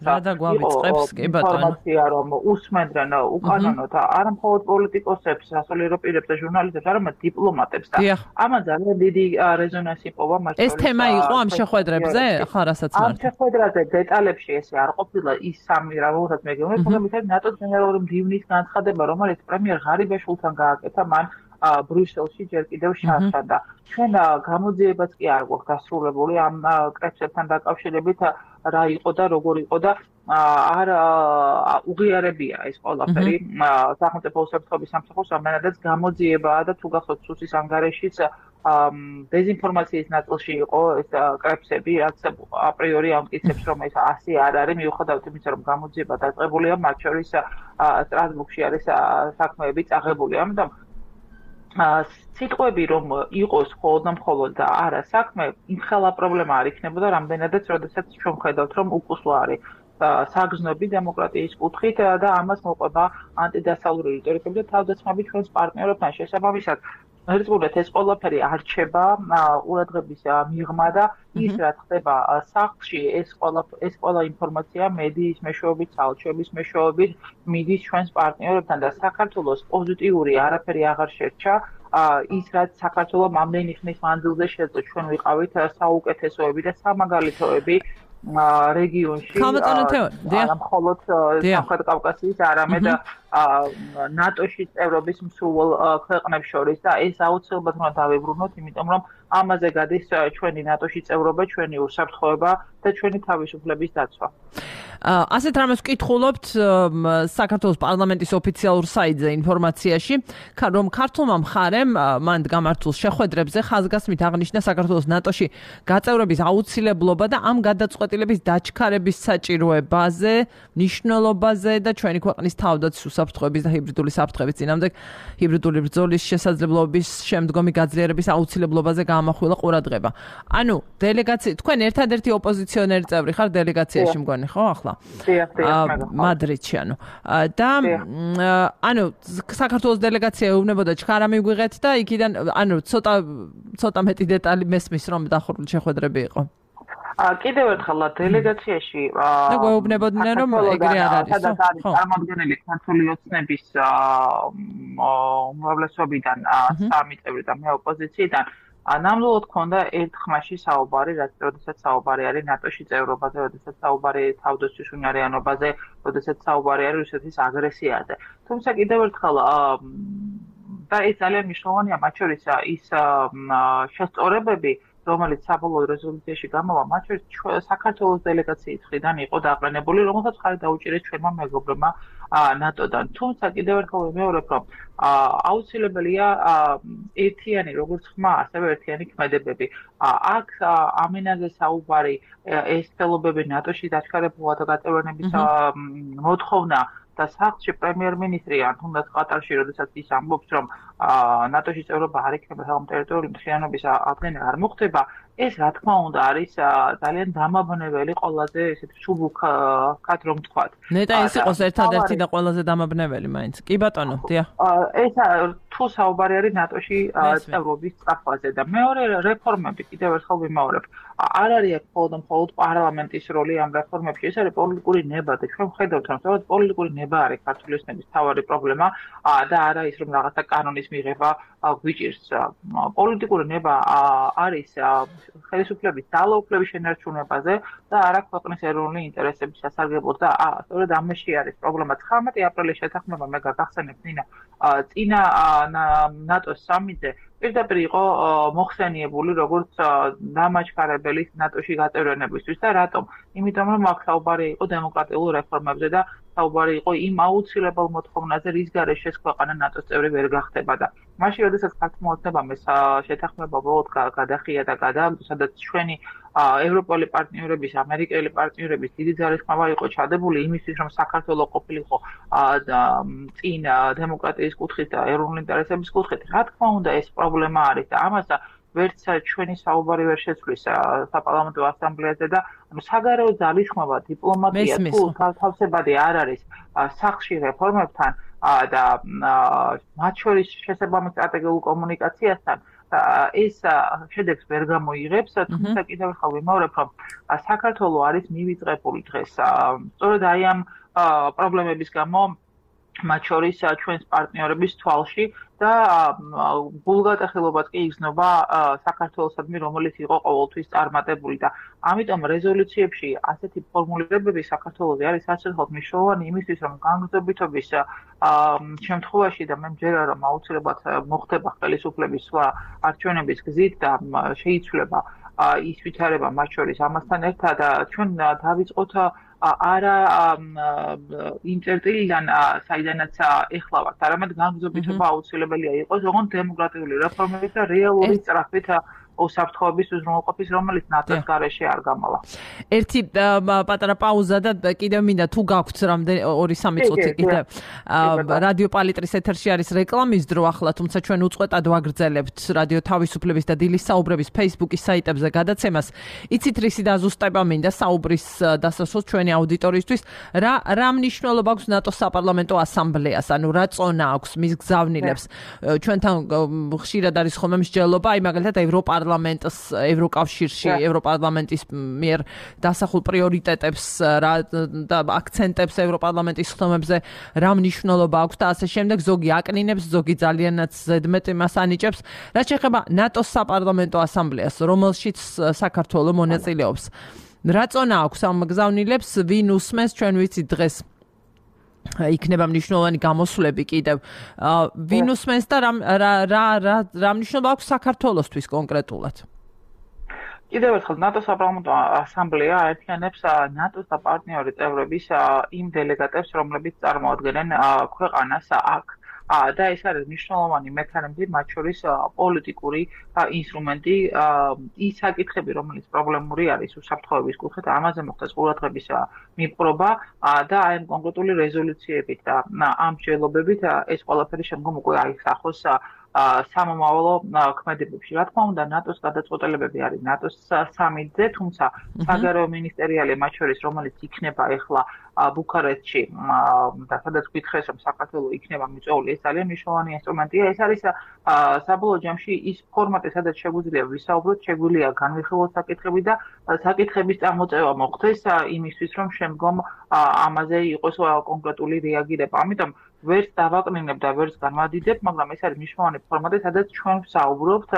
ინფორმაცია რომ უსმენდნენ უკანონოდ არა მხოლოდ პოლიტიკოსებს, სასულიერო პირებს და ჟურნალისტებს, არამედ დიპლომატებს და ამან ძალიან დიდი რეზონანსი პოვა მათ შორის. ეს თემა იყო ამ შეხვედრებზე, ხა რასაც ამ შეხვედრაზე დეტალებში ესე არ ყოფილა ის სამი რა ვუხოთ მე გეუბნები, თუმცა ნატოს გენერალური მდივნის განცხადება, რომელიც პრემიერ ღარიბაშვილთან გააკეთა, მან ბრიუსელში ჯერ კიდევ შარშა. ჩვენ გამოძიებაც კი არ გვაქვს დასრულებული ამ კრებსებთან დაკავშირებით რა იყო და როგორ იყო და არ უღიარებია ეს ყველაფერი სახელმწიფო უსაფრთხოების სამსახურს ამანადაც გამოძიებაა და თუ გახსოვთ სუსის ანგარიშიც დეზინფორმაციის ნაწილში იყო ეს კრებსები, რაც აპრიორი ამტკიცებს რომ ეს ასე არ არის, მიუხედავად იმისა რომ გამოძიება დაწყებულია, მათ შორის სტრასბურგში არის საქმეები წაღებული. ამიტომ სიტყვები რომ იყოს მხოლოდ და მხოლოდ და არა საქმე, იმხელა პრობლემა არ იქნებოდა, რამდენადაც როდესაც ჩვენ ხედავთ რომ უკუსლა არის საგრძნობი დემოკრატიის კუთხით და ამას მოყვება ანტიდასავლური რიტორიკები და თავდასხმები ჩვენს პარტნიორებთან შესაბამისად. ერთგულად ეს ყველაფერი არჩება ყურადღების მიღმა და ის რაც ხდება სახლში ეს ყველა ეს ყველა ინფორმაცია მედიის მეშვეობით, საელჩოების მეშვეობით მიდის ჩვენს პარტნიორებთან და საქართველოს პოზიტიური არაფერი აღარ შერჩა. ის რაც საქართველოს ამდენი ხნის მანძილზე შეძლო ჩვენ ვიყავით საუკეთესოები და სამაგალითოები რეგიონში არა მხოლოდ სამხრეთ კავკასიის, არამედ ნატოში წევრობის მსურველ ქვეყნებს შორის და ეს აუცილებლად უნდა დავიბრუნოთ, იმიტომ რომ ამაზე გადის ჩვენი ნატოში წევრობა, ჩვენი უსაფრთხოება და ჩვენი თავისუფლების დაცვა. ასეთ რამეს ვკითხულობთ საქართველოს პარლამენტის ოფიციალურ საიტზე ინფორმაციაში, რომ ქართულმა მხარემ მან გამართულ შეხვედრებზე ხაზგასმით აღნიშნა საქართველოს ნატოში გაწევრების აუცილებლობა და ამ გადაწყვეტილების დაჩქარების საჭიროებაზე, მნიშვნელობაზე და ჩვენი ქვეყნის თავდაცვის უსაფრთხოების და ჰიბრიდული საფრთხების წინააღმდეგ ჰიბრიდული ბრძოლის შესაძლებლობის შემდგომი გაძლიერების აუცილებლობაზე გაამახვილა ყურადღება. ანუ დელეგაცია, თქვენ ერთადერთი ოპოზიციონერი წევრი ხარ დელეგაციაში მგონი, ხო ახლა? მადრიდში ანუ და ანუ საქართველოს დელეგაცია ეუბნებოდა ჩქარა მიგვიღეთ და იქიდან ანუ ცოტა ცოტა მეტი დეტალი მესმის რომ დახურული შეხვედრები იყო. კიდევ ერთხელ დელეგაციაში და გვეუბნებოდნენ რომ ეგრე არ არის. სადაც არის წარმოადგენელი ქართული ოცნების უმრავლესობიდან სამი წევრი და მე ოპოზიციიდან ნამდვილად ქონდა ერთ ხმაში საუბარი, რაც როდესაც საუბარი არის ნატოში წევრობაზე, როდესაც საუბარი თავდაცვის უნარიანობაზე, როდესაც საუბარი არის რუსეთის აგრესიაზე. თუმცა კიდევ ერთხელ და ეს ძალიან მნიშვნელოვანია, მათ შორის ის შესწორებები, რომელიც საბოლოო რეზოლუციაში გამოვა, მათ შორის საქართველოს დელეგაციის მხრიდან იყო დაყრდნებული, რომელსაც ხარი დაუჭირეს ჩვენმა მეგობრებმა ნატოდან. თუმცა კიდევ ერთხელ ვიმეორებ, რომ აუცილებელია ერთიანი როგორც ხმა, ასევე ერთიანი ქმედებები. აქ ამინაზე საუბარი, ეს ხელობები ნატოში დაჩქარებულა და გაწევრიანების მოთხოვნა და სახლში პრემიერ-მინისტრი ან თუნდაც ყატარში, როდესაც ის ამბობს, რომ ნატოში წევრობა არ იქნება საგამ ტერიტორიული მთლიანობის აღდგენა არ მოხდება, ეს რა თქმა უნდა არის ძალიან დამაბნეველი ყველაზე ესეთი სუბუქად რომ ვთქვათ. ნეტა ეს იყოს ერთადერთი და ყველაზე დამაბნეველი მაინც. კი ბატონო, დიახ. ეს თუ საუბარი არის ნატოში წევრობის სწავლაზე და მეორე რეფორმები კიდევ ერთხელ ვიმეორებ. არ არის აქ მხოლოდ მხოლოდ პარლამენტის როლი ამ რეფორმებში, ეს არის პოლიტიკური ნება და ჩვენ ვხედავთ, რომ სწორედ პოლიტიკური ნება არის ქართული ოცნების მთავარი პრობლემა და არა ის, რომ რაღაცა კანონის მიღება გვიჭირს. პოლიტიკური ნება არის ხელისუფლების ძალაუფლების შენარჩუნებაზე და არა ქვეყნის ეროვნული ინტერესების სასარგებლოდ და სწორედ ამაში არის პრობლემა. ცხრამეტი აპრილის შეთანხმება მე გაგახსენებთ ნინა წინა ნატოს სამიტზე პირდაპირ იყო მოხსენიებული როგორც დამაჩქარებელი ნატოში გაწევრიანებისთვის და რატომ? იმიტომ რომ აქ საუბარი იყო დემოკრატიულ რეფორმებზე და საუბარი იყო იმ აუცილებელ მოთხოვნაზე, რის გარეშე ქვეყანა ნატოს წევრი ვერ გახდება და მაშინ როდესაც ქართულმა ოცნებამ ეს შეთანხმება ბოლოდ გადახია და გადააგდო, სადაც ჩვენი ევროპული პარტნიორების, ამერიკელი პარტნიორების დიდი ძალისხმევა იყო ჩადებული იმისთვის, რომ საქართველო ყოფილიყო წინ დემოკრატიის კუთხით და ეროვნული ინტერესების კუთხით. რა თქმა უნდა, ეს პრობლემა არის და ამას ვერც ჩვენი საუბარი ვერ შეცვლის საპარლამენტო ასამბლეაზე და ანუ საგარეო ძალისხმევა, დიპლომატია თუ თავსებადი არ არის სახლში რეფორმებთან და მათ შორის შესაბამის სტრატეგიულ კომუნიკაციასთან ეს შედეგს ვერ გამოიღებს, თუმცა კიდევ ერთხელ ვიმეორებ, რომ საქართველო არის მივიწყებული დღეს სწორედ აი ამ პრობლემების გამო მათ შორის ჩვენს პარტნიორების თვალში და გულგატეხილობაც კი იგრძნობა საქართველოსადმი, რომელიც იყო ყოველთვის წარმატებული და ამიტომ რეზოლუციებში ასეთი ფორმულირებები საქართველოზე არის საერთოდ მნიშვნელოვანი იმისთვის, რომ განგრძობიტობის შემთხვევაში და მე მჯერა, რომ აუცილებლად მოხდება ხელისუფლების სხვა არჩევნების გზით და შეიცვლება ის ვითარება მათ შორის ამასთან ერთად ჩვენ დავიწყოთ არა იმ წერტილიდან საიდანაც ეხლა ვართ, არამედ განგრძობიტობა აუცილებელია იყოს, ოღონდ დემოკრატიული რეფორმებით და რეალური სწრაფით უსაფრთხოების უზრუნველყოფის, რომელიც ნატოს გარეშე არ გამოვა. ერთი პატარა პაუზა და კიდევ მინდა თუ გაქვთ რამდენი ორი სამი წუთი კიდევ რადიო პალიტრის ეთერში არის რეკლამის დრო ახლა, თუმცა ჩვენ უწყვეტად ვაგრძელებთ რადიო თავისუფლების და დილის საუბრების Facebook-ის საიტებზე გადაცემას. იცით რისი დაზუსტება მინდა საუბრის დასასრულს ჩვენი აუდიტორიისთვის, რა რა მნიშვნელობა აქვს ნატოს საპარლამენტო ასამბლეას, ანუ რა წონა აქვს მის გზავნილებს. ჩვენთან ხშირად არის ხოლმე მსჯელობა, აი მაგალითად ევროპარლამენტის პარლამენტს ევროკავშირში, ევროპარლამენტის მიერ დასახულ პრიორიტეტებს და აქცენტებს ევროპარლამენტის ხდომებზე რა მნიშვნელობა აქვს და ასე შემდეგ, ზოგი აკნინებს, ზოგი ძალიანაც ზედმეტ იმას ანიჭებს. რაც შეეხება ნატოს საპარლამენტო ასამბლეას, რომელშიც საქართველო მონაწილეობს. რა წონა აქვს ამ გზავნილებს, ვინ უსმენს, ჩვენ ვიცით დღეს იქნება მნიშვნელოვანი გამოსვლები კიდევ. ვინ უსმენს და რა რა რა რა მნიშვნელობა აქვს საქართველოსთვის კონკრეტულად? კიდევ ერთხელ ნატოს საპარლამენტო ასამბლეა აერთიანებს ნატოს და პარტნიორი წევრების იმ დელეგატებს, რომლებიც წარმოადგენენ ქვეყანას აქ. და ეს არის მნიშვნელოვანი მექანიზმი, მათ შორის პოლიტიკური ინსტრუმენტი, ის საკითხები, რომელიც პრობლემური არის უსაფრთხოების კუთხით, ამაზე მოხდეს ყურადღების მიპყრობა და აი ამ კონკრეტული რეზოლუციებით და ამ მსჯელობებით ეს ყველაფერი შემდგომ უკვე აიხსახოს სამომავლო ქმედებებში. რა თქმა უნდა, ნატოს გადაწყვეტილებები არის ნატოს სამიტზე, თუმცა საგარეო მინისტერიალი მათ შორის, რომელიც იქნება ახლა ბუქარესტში და სადაც გითხრეს, რომ საქართველო იქნება მიწვეული, ეს ძალიან მნიშვნელოვანი ინსტრუმენტია. ეს არის საბოლოო ჯამში ის ფორმატი, სადაც შეგვიძლია ვისაუბროთ, შეგვიძლია განვიხილოთ საკითხები და საკითხების წარმოწევა მოხდეს იმისთვის, რომ შემდგომ ამაზე იყოს კონკრეტული რეაგირება. ამიტომ ვერც დავაკნინებ და ვერც განვადიდებ, მაგრამ ეს არის მნიშვნელოვანი ფორმატი, სადაც ჩვენ ვსაუბრობთ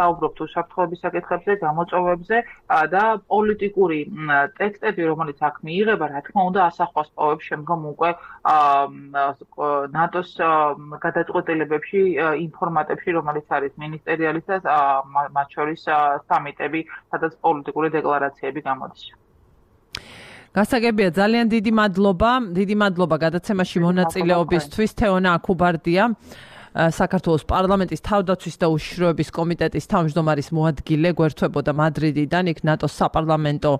საუბრობთ უსაფრთხოების საკითხებზე, გამოწვევებზე და პოლიტიკური ტექსტები, რომელიც აქ მიიღება, რა თქმა უნდა, ასახვას პოვებს შემდგომ უკვე ნატოს გადაწყვეტილებებში, ინფორმატებში, რომელიც არის მინისტერიალის და მათ შორის სამიტები, სადაც პოლიტიკური დეკლარაციები გამოდის. გასაგებია, ძალიან დიდი მადლობა, დიდი მადლობა გადაცემაში მონაწილეობისთვის. თეონა აქუბარდია, საქართველოს პარლამენტის თავდაცვის და უშიშროების კომიტეტის თავმჯდომარის მოადგილე, გვერდთვებოდა მადრიდიდან, იქ ნატოს საპარლამენტო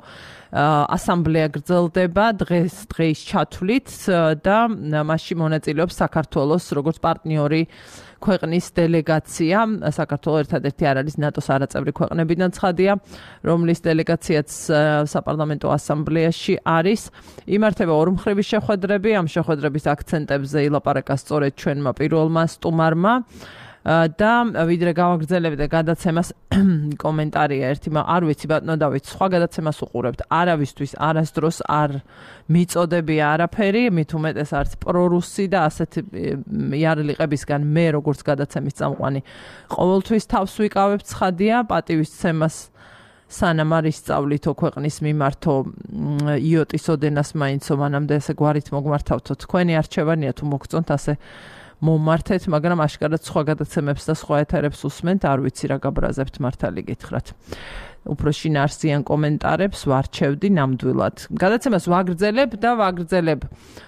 ასამბლეა გრძელდება დღეს დღეის ჩათვლით და მასში მონაწილეობს საქართველოს როგორც პარტნიორი ქვეყნის დელეგაცია. საქართველოს ერთადერთი არ არის ნატოს არაწევრი ქვეყნებიდან ცხადია, რომლის დელეგაციაც საპარლამენტო ასამბლეაში არის. იმართება ორმხრივი შეხვედრები, ამ შეხვედრების აქცენტებზე ილაპარაკა სწორედ ჩვენმა პირველმა სტუმარმა. და ვიდრე გავაგრძელებთ გადაცემას კომენტარია ერთი, არ ვიცი ბატონო დავით, სხვა გადაცემას უყურებთ, არავისთვის არასდროს არ მიწოდებია არაფერი, მით უმეტეს არც პრორუსი და ასეთ იარლიყებისგან მე როგორც გადაცემის წამყვანი ყოველთვის თავს ვიკავებ, ცხადია, პატივისცემას სანამ არ ისწავლითო ქვეყნის მიმართო იოტის ოდენას მაინცო მანამდე ესე გვარით მოგმართავთო, თქვენი არჩევანია თუ მოგწონთ ასე მომართეთ, მაგრამ აშკარად სხვა გადაცემებს და სხვა ეთერებს უსმენთ, არ ვიცი რა გაბრაზებთ, მართალი გითხრათ. უფრო შინაარსიან კომენტარებს ვარჩევდი ნამდვილად. გადაცემას ვაგრძელებ და ვაგრძელებ.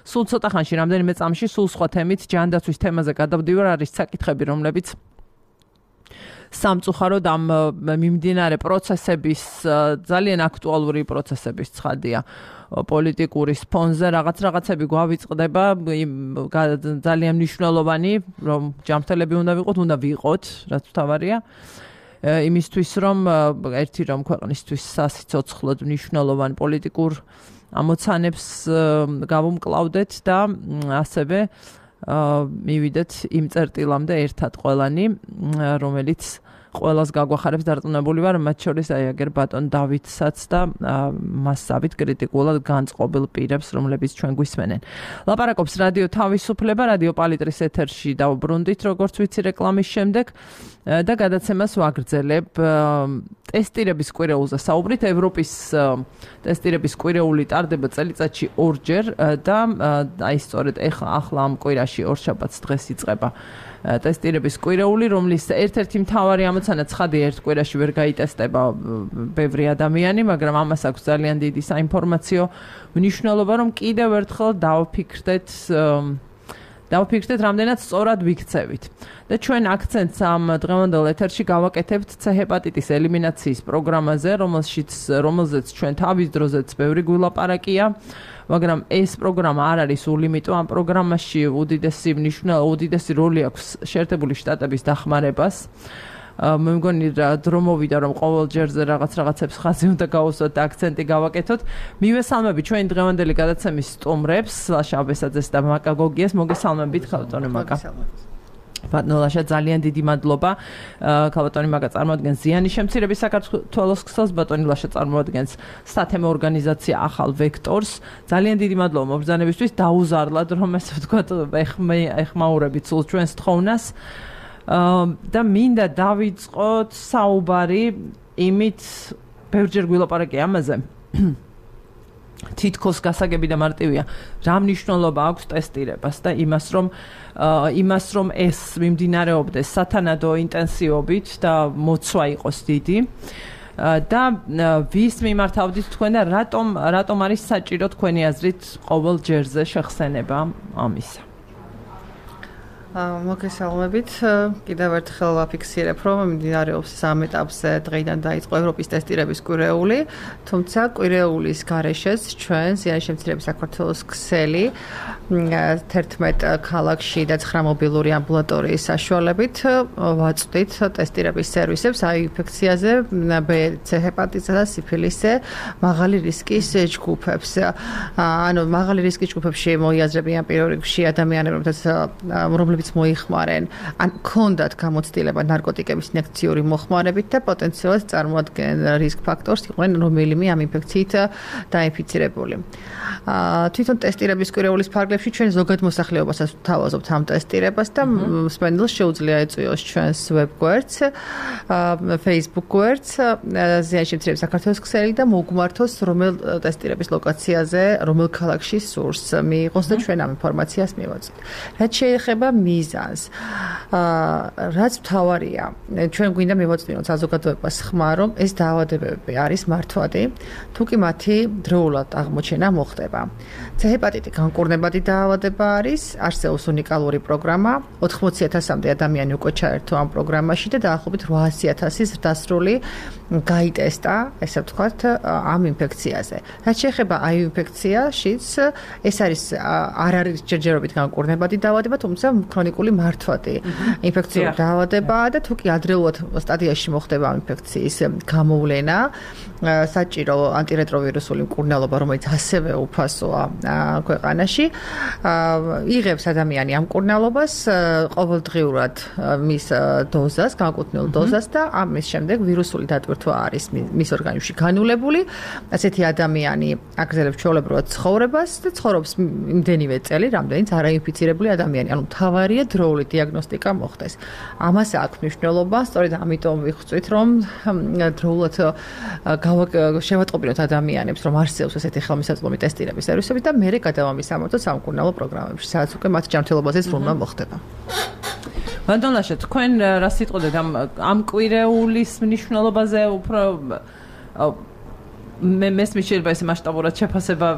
სულ ცოტა ხანში, რამდენიმე წამში, სულ სხვა თემით, ჯანდაცვის თემაზე გადავდივარ, არის საკითხები, რომლებიც სამწუხაროდ ამ მიმდინარე პროცესების, ძალიან აქტუალური პროცესების ცხადია. პოლიტიკური სპონზე რაღაც რაღაცები გვავიწყდება, ძალიან მნიშვნელოვანი, რომ ჯანმრთელები უნდა ვიყოთ, უნდა ვიყოთ, რაც თავარია. იმისთვის, რომ ერთი რომ ქვეყნისთვის სასიცოცხლოდ მნიშვნელოვან პოლიტიკურ ამოცანებს გავუმკლავდეთ და ასევე მივიდეთ იმ წერტილამდე ერთად ყველანი, რომელიც ყველას გაგვახარებს დარწმუნებული ვარ, მათ შორის აი აგერ ბატონ დავითსაც და მასავით კრიტიკულად განწყობილ პირებს, რომლებიც ჩვენ გვისმენენ. ლაპარაკობს რადიო თავისუფლება, რადიო პალიტრის ეთერში დავბრუნდით, როგორც ვიცი რეკლამის შემდეგ და გადაცემას ვაგრძელებ. ტესტირების კვირეულზე საუბრით, ევროპის ტესტირების კვირეული ტარდება წელიწადში ორჯერ და აი სწორედ ახლა ამ კვირაში ორშაბათს დღეს იწყება ტესტირების კვირეული, რომლის ერთ-ერთი მთავარი ამოცანა ცხადია, ერთ კვირაში ვერ გაიტესტება ბევრი ადამიანი, მაგრამ ამას აქვს ძალიან დიდი საინფორმაციო მნიშვნელობა, რომ კიდევ ერთხელ დავფიქრდეთ დავფიქრდეთ, რამდენად სწორად ვიქცევით. და ჩვენ აქცენტს ამ დღევანდელ ეთერში გავაკეთებთ C ჰეპატიტის ელიმინაციის პროგრამაზე, რომელშიც რომელზეც ჩვენ თავის დროზეც ბევრი გვილაპარაკია, მაგრამ ეს პროგრამა არ არის ულიმიტო, ამ პროგრამაში უდიდესი მნიშვნელობა, უდიდესი როლი აქვს შეერთებული შტატების დახმარებას. მე მგონი რა დრო მოვიდა რომ ყოველ ჯერზე რაღაც რაღაცებს ხაზი უნდა გაუსვათ და აქცენტი გავაკეთოთ. მივესალმები ჩვენი დღევანდელი გადაცემის სტუმრებს, ლაშა აბესაძეს და მაკა გოგიას, მოგესალმებით ხალბატონი მაკა. ბატონო ლაშა, ძალიან დიდი მადლობა. ხალბატონი მაკა წარმოადგენს ზიანის შემცირების საქართველოს ქსელს, ბატონი ლაშა წარმოადგენს სათემო ორგანიზაცია ახალ ვექტორს. ძალიან დიდი მადლობა მობრძანებისთვის, დაუზარლად რომ ესე ვთქვათ, ეხმაურებით სულ ჩვენს თხოვნას. და მინდა დავიწყოთ საუბარი იმით, ბევრჯერ გვილაპარაკე ამაზე. თითქოს გასაგები და მარტივია, რა მნიშვნელობა აქვს ტესტირებას და იმას, რომ იმას, რომ ეს მიმდინარეობდეს სათანადო ინტენსივობით და მოცვა იყოს დიდი. და ვის მიმართავდით თქვენ და რატომ რატომ არის საჭირო თქვენი აზრით ყოველ ჯერზე შეხსენება ამისა? მოგესალმებით. კიდევ ერთხელ ვაფიქსირებ, რომ მიმდინარეობს სამ ეტაპზე დღეიდან დაიწყო ევროპის ტესტირების კვირეული, თუმცა კვირეულის გარეშეც ჩვენ ზიანის შემცირების საქართველოს ქსელი თერთმეტ ქალაქში და ცხრა მობილური ამბულატორიის საშუალებით ვაწვდით ტესტირების სერვისებს აი ინფექციაზე, B, C ჰეპატიტისა და სიფილისზე მაღალი რისკის ჯგუფებს. ანუ მაღალი რისკის ჯგუფებში მოიაზრებიან პირველ რიგში ადამიანები, რომლებიც რომლებიც მოიხმარენ, ან ქონდათ გამოცდილება ნარკოტიკების ინjekციური მოხმარებით და პოტენციალურად წარმოადგენენ რისკ ფაქტორს, იყვნენ რომელიმე ამ ინფექციით დაინფიცირებული. თვითონ ტესტირების კვირეულის ფარგლებში ჩვენ ზოგად მოსახლეობასაც ვთავაზობთ ამ ტესტირებას და მსმენელს შეუძლია ეწვიოს ჩვენს ვებგვერდს, Facebook გვერდს, ზიანის შემცირების საქართველოს ქსელი და მოგმართოს რომელ ტესტირების ლოკაციაზე, რომელ ქალაქში სურს მიიღოს და ჩვენ ამ ინფორმაციას მივაწვით. რაც შეეხება მიზანს, რაც მთავარია, ჩვენ გვინდა მივაწვინოთ საზოგადოებას ხმა, რომ ეს დაავადებები არის მართვადი, თუ კი მათი დროულად აღმოჩენა მოხდება. C-ჰეპატიტი განკურნებადი დაავადება არის, არსებობს უნიკალური პროგრამა, ოთხმოცი ათასამდე ადამიანი უკვე ჩაერთო ამ პროგრამაში და დაახლოებით ოთხასი ათასის დასრული გაიტესტა, ესე ვთქვათ, ამ ინფექციაზე. რაც შეეხება აი ინფექციაშიც, ეს არის არ არის ჯერჯერობით განკურნებადი დაავადება, თუმცა ქრონიკული მართვადი ინფექციური დაავადებაა და თუ კი ადრეულად სტადიაში მოხდება ამ ინფექციის გამოვლენა, საჭირო ანტირეტროვირუსული მკურნალობა, რომელიც ასევე უფასოა ქვეყანაში, იღებს ადამიანი ამ მკურნალობას ყოველდღიურად მის დოზას, განკუთვნილ დოზას და ამის შემდეგ ვირუსული დატვირთვა არის მის ორგანიზმში განულებული. ასეთი ადამიანი აგრძელებს ჩვეულებრივად ცხოვრებას და ცხოვრობს იმდენივე წელი, რამდენიც არაინფიცირებული ადამიანი. ანუ მთავარია დროული დიაგნოსტიკა მოხდეს. ამას აქვს მნიშვნელობა, სწორედ ამიტომ ვიხსვით, რომ დროულად შევატყობინოთ ადამიანებს, რომ არსებობს ესეთი ხელმისაწვდომი ტესტირების სერვისები და მერე გადავამისამართოთ სამკურნალო პროგრამებში, სადაც უკვე მათ ჯანმრთელობაზე სრულმა მოხდება. ვანდონაშა, თქვენ რა სიტყოდეთ ამ ამ კვირეულის მნიშვნელობაზე უფრო მე მესმის შეიძლება ეს მასშტაბურად შეფასება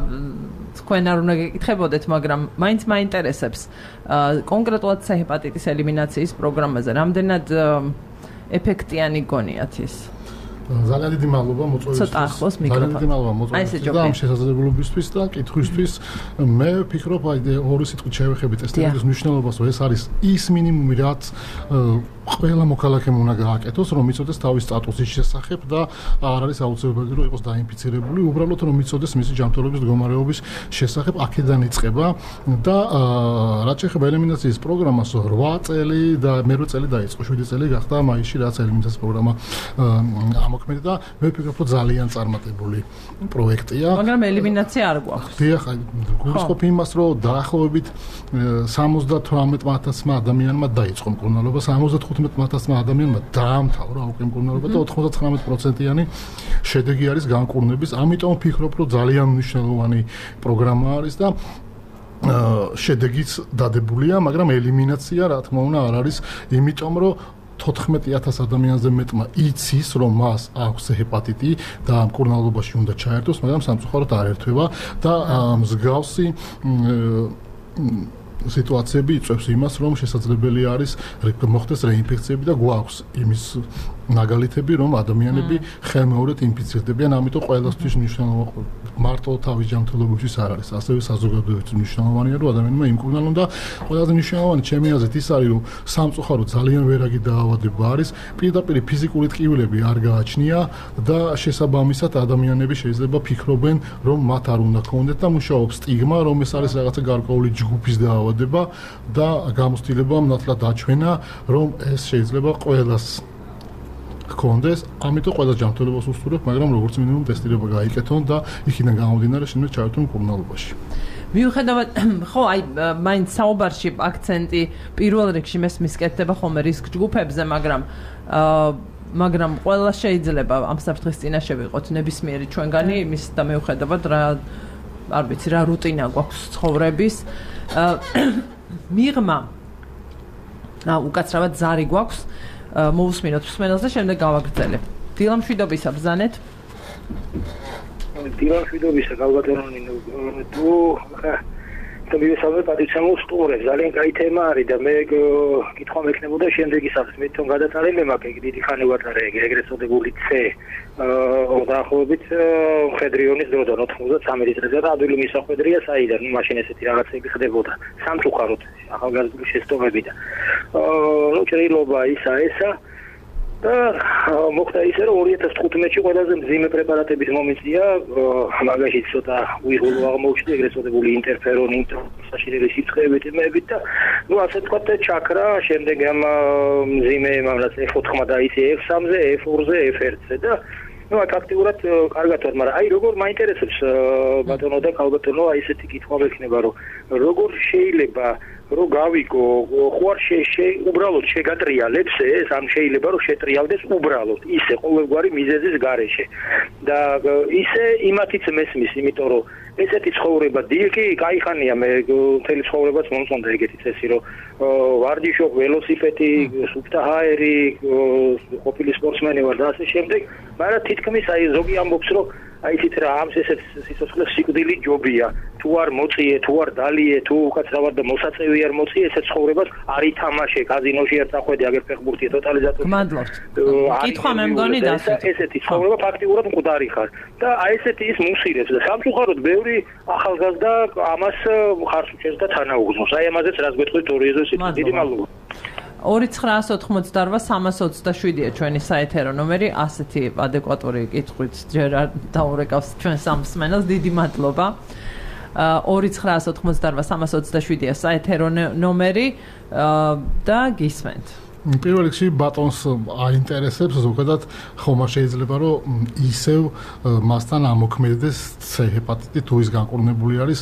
თქვენ არ უნდა გეკითხებოდეთ, მაგრამ მაინც მაინტერესებს კონკრეტულად C-ჰეპატიტის ელიმინაციის პროგრამაზე რამდენად ეფექტიანი გონიათ ის? ძალიან დიდი მადლობა მოწვევისთვის. ძალიან დიდი მადლობა მოწვევისთვის და ამ შესაძლებლობისთვის და კითხვისთვის. მე ვფიქრობ, აი ორი სიტყვით შევეხებით ტესტირების მნიშვნელობას, რომ ეს არის ის მინიმუმი, რაც ყველა მოქალაქემ უნდა გააკეთოს, რომ იცოდეს თავის სტატუსის შესახებ და არ არის აუცილებელი, რომ იყოს დაინფიცირებული, უბრალოდ რომ იცოდეს მისი ჯანმრთელობის მდგომარეობის შესახებ, აქედან იწყება და რაც შეეხება ელიმინაციის პროგრამას, რვა წელი და მერვე წელი დაიწყო, შვიდი წელი გახდა მაისში, რაც ელიმინაციის პროგრამა ამოქმედა და მე ვფიქრობ, რომ ძალიან წარმატებული პროექტია. მაგრამ ელიმინაცია არ გვაქვს. დიახ, გულისხმობ იმას, რომ დაახლოებით სამოცდათვრამეტ ათასმა ადამიანმა დაიწყო მკურნალობა, სამოცდათხუთმეტ ათასმა ადამიანმა დაამთავრა უკვე მკურნალობა და ოცდათვრამეტ პროცენტიანი შედეგი არის განკურნების. ამიტომ ვფიქრობ, რომ ძალიან მნიშვნელოვანი პროგრამა არის და შედეგიც დადებულია, მაგრამ ელიმინაცია, რა თქმა უნდა, არ არის, იმიტომ რომ თოთხმეტი ათას ადამიანზე მეტმა იცის, რომ მას აქვს ჰეპატიტი და მკურნალობაში უნდა ჩაერთოს, მაგრამ სამწუხაროდ არ ერთვება და მსგავსი სიტუაციები იწვევს იმას, რომ შესაძლებელი არის მოხდეს რეინფექციები და გვაქვს იმის მაგალითები, რომ ადამიანები ხელმეორედ ინფიცირდებიან, ამიტომ ყველასთვის მნიშვნელოვანია მარტო თავის ჯანმრთელობისთვის არ არის, ასევე საზოგადოებისთვის მნიშვნელოვანია, რომ ადამიანმა იმკურნალონ და ყველაზე მნიშვნელოვანი ჩემი აზრით ის არის, რომ სამწუხაროდ ძალიან ვერაგი დაავადება არის, პირდაპირ ფიზიკური ტკივილები არ გააჩნია და შესაბამისად ადამიანები შეიძლება ფიქრობენ, რომ მათ არ უნდა ქონდეთ და მუშაობს სტიგმა, რომ ეს არის რაღაცა გარკვეული ჯგუფის დაავადება და გამოცდილება ნათლად დაჩვენა, რომ ეს შეიძლება ყველას გქონდეს, ამიტომ ყველა ჯანმრთელობას უსურვებ, მაგრამ როგორც მინიმუმ ტესტირება გაიკეთონ და იქიდან გამომდინარე შემდეგ ჩაერთონ მკურნალობაში. მიუხედავად, ხო, აი, მაინც საუბარში აქცენტი პირველ რიგში მესმის კეთდება ხოლმე რისკ ჯგუფებზე, მაგრამ მაგრამ ყველა შეიძლება ამ საფრთხის წინაშე ვიყოთ ნებისმიერი ჩვენგანი, იმის და მიუხედავად რა არ ვიცი რა რუტინა გვაქვს ცხოვრების. მიღმა რა უკაცრავად ზარი გვაქვს. მოვუსმინოთ მსმენელს და შემდეგ გავაგრძელებ. დილა მშვიდობისა ბრძანეთ. დილა მშვიდობისა გავგადერონი თუ და მივესალმე პატრიცემულ სტუმრებს. ძალიან კაი თემა არის და მე კითხვა მექნებოდა შემდეგისათვის. მე თვითონ გადატარემ მაქვს ეგ დიდი ხანი ვატარე ეგრეთ წოდებული C დაახლოებით მხედრიონის დროდან ოთხმოცდათრამეტი წელიწადია და ადვილი მისახვედრია საიდან მაშინ ესეთი რაღაცები ხდებოდა სამწუხაროდ ახალგაზრდული შეცდომები და ნუ ჭრილობა ისა ესა და მოხდა ისე რომ ორი ათას თხუთმეტში ყველაზე მძიმე პრეპარატების მომიწია მაგაში ცოტა უიღურლო აღმოჩნდა ეგრეთ წოდებული ინტერფერონი საშინელი სიცხეებით იმებით და ну ასე თქვათ ჩაქრა, შემდეგ ამ მძიმე მამლაც ეფ ოთხ დაიცი ეფ სამზე, ეფ ორზე, ეფ ერთზე და ну აქ აქტიურად კარგად ვარ, მაგრამ აი როგორ მაინტერესებს ბატონო და ქალბატონო, აი ესეთი კითხვა მექნება, რომ როგორ შეიძლება რომ გავიგო, ხო არ შე უბრალოდ შეგატრიალებს ეს, ამ შეიძლება რომ შეტრიალდეს უბრალოდ ისე ყოველგვარი მიზეზის გარეშე და ისე იმათიც მესმის, იმიტომ რომ ესეთი ცხოვრება დიგი, кайხანია მე მთელი ცხოვრებაც მომწონდა ეგეთი წესი, რომ ვარჯიშობ, ველოსიპედი, სუფთაჰაერი, ყოფილი სპორტსმენი ვარ და ასე შემდეგ, მაგრამ თითქმის აი ზოგი ამბობს, რომ აი თით რა ამ ესეთ სიცოცხლე სიკვდილი ჯობია. თუ არ მოწიე, თუ არ დალიე, თუ უკაცრავად და მოსაწევი არ მოწიე, ესეთ ცხოვრებას არ ითამაშე, კაზინოში არ წახვედი, აგერ ფეხბურთი ტოტალიზატორში. გმადლობთ. კითხვა მე მგონი დასვით. ესეთი ცხოვრება ფაქტიურად მკვდარი ხარ და აი ესეთი ის მუსირებს და სამწუხაროდ ბევრი ახალგაზრდა ამას ხარს უჭერს და თანაუგზნობს. აი ამაზეც რას გეტყვით ორი ეზოს ის დიდი მადლობა. ორი ცხრაას ოთხმოცდაოთხ სამას ოცდაშვიდია ჩვენი საეთერო ნომერი, ასეთი ადეკვატური კითხვით ჯერ არ დაურეკავს ჩვენ სამსმენელს, დიდი მადლობა. ორი ცხრაას ოთხმოცდაოთხ სამას ოცდაშვიდია საეთერო ნომერი და გისმენთ. პირველ რიგში ბატონს აინტერესებს ზოგადად ხომ შეიძლება რომ ისევ მასთან ამოქმედდეს C ჰეპატიტი თუ ის განკურნებული არის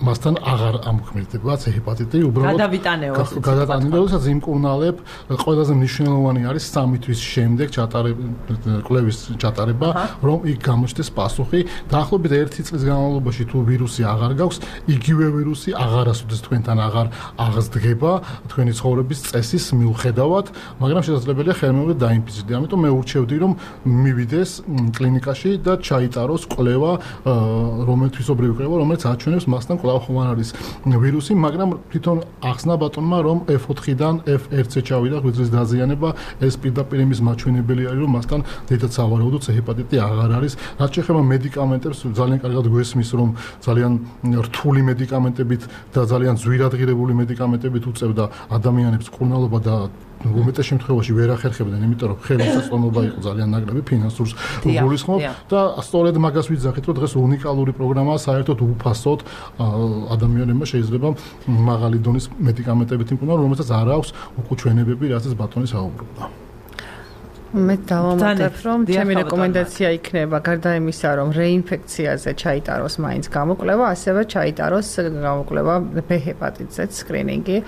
მასთან აღარ ამოქმედება C ჰეპატიტი უბრალოდ გადავიტანეოს გადატანილი როდესაც იმკურნალებ ყველაზე მნიშვნელოვანი არის სამი თვის შემდეგ ჩატარება კვლევის ჩატარება რომ იქ გამოჩნდეს პასუხი დაახლოებით ერთი წლის განმავლობაში თუ ვირუსი აღარ გაქვს იგივე ვირუსი აღარასოდეს თქვენთან აღარ აღსდგება თქვენი ცხოვრების წესის მიუხედავად დავად, მაგრამ შესაძლებელია ხელმეორედ დაინფიცირდე. ამიტომ მე ურჩევდი, რომ მივიდეს კლინიკაში და ჩაიტაროს კვლევა, რომელიც თვისობრივი კვლევა, რომელიც აჩვენებს მასთან კვლავ ხომ არ არის ვირუსი, მაგრამ თვითონ ახსნა ბატონმა, რომ ეფ ოთხიდან ეფ ერთზე ჩავიდა ღვიძლის დაზიანება, ეს პირდაპირ იმის მაჩვენებელი არის, რომ მასთან დიდად სავარაუდო C ჰეპატიტი აღარ არის. რაც შეეხება მედიკამენტებს, ძალიან კარგად გვესმის, რომ ძალიან რთული მედიკამენტებით და ძალიან ძვირადღირებული მედიკამენტებით უწევდა ადამიანებს კურნალობა და უმეტეს შემთხვევაში ვერ ახერხებდნენ, იმიტომ რომ ხელმისაწვდომობა იყო ძალიან ნაკლები ფინანსურს გულისხმობ და სწორედ მაგას ვიძახით, რომ დღეს უნიკალური პროგრამაა საერთოდ უფასოდ ადამიანებმა შეიძლება მაღალი დონის მედიკამენტებით იმკურნალონ, რომელსაც არ აქვს უკუჩვენებები, რასაც ბატონი საუბრობდა. მე დავამატებ, რომ ჩემი რეკომენდაცია იქნება გარდა იმისა, რომ რეინფექციაზე ჩაიტაროს მაინც გამოკვლევა, ასევე ჩაიტაროს გამოკვლევა B ჰეპატიტზეც სკრინინგი,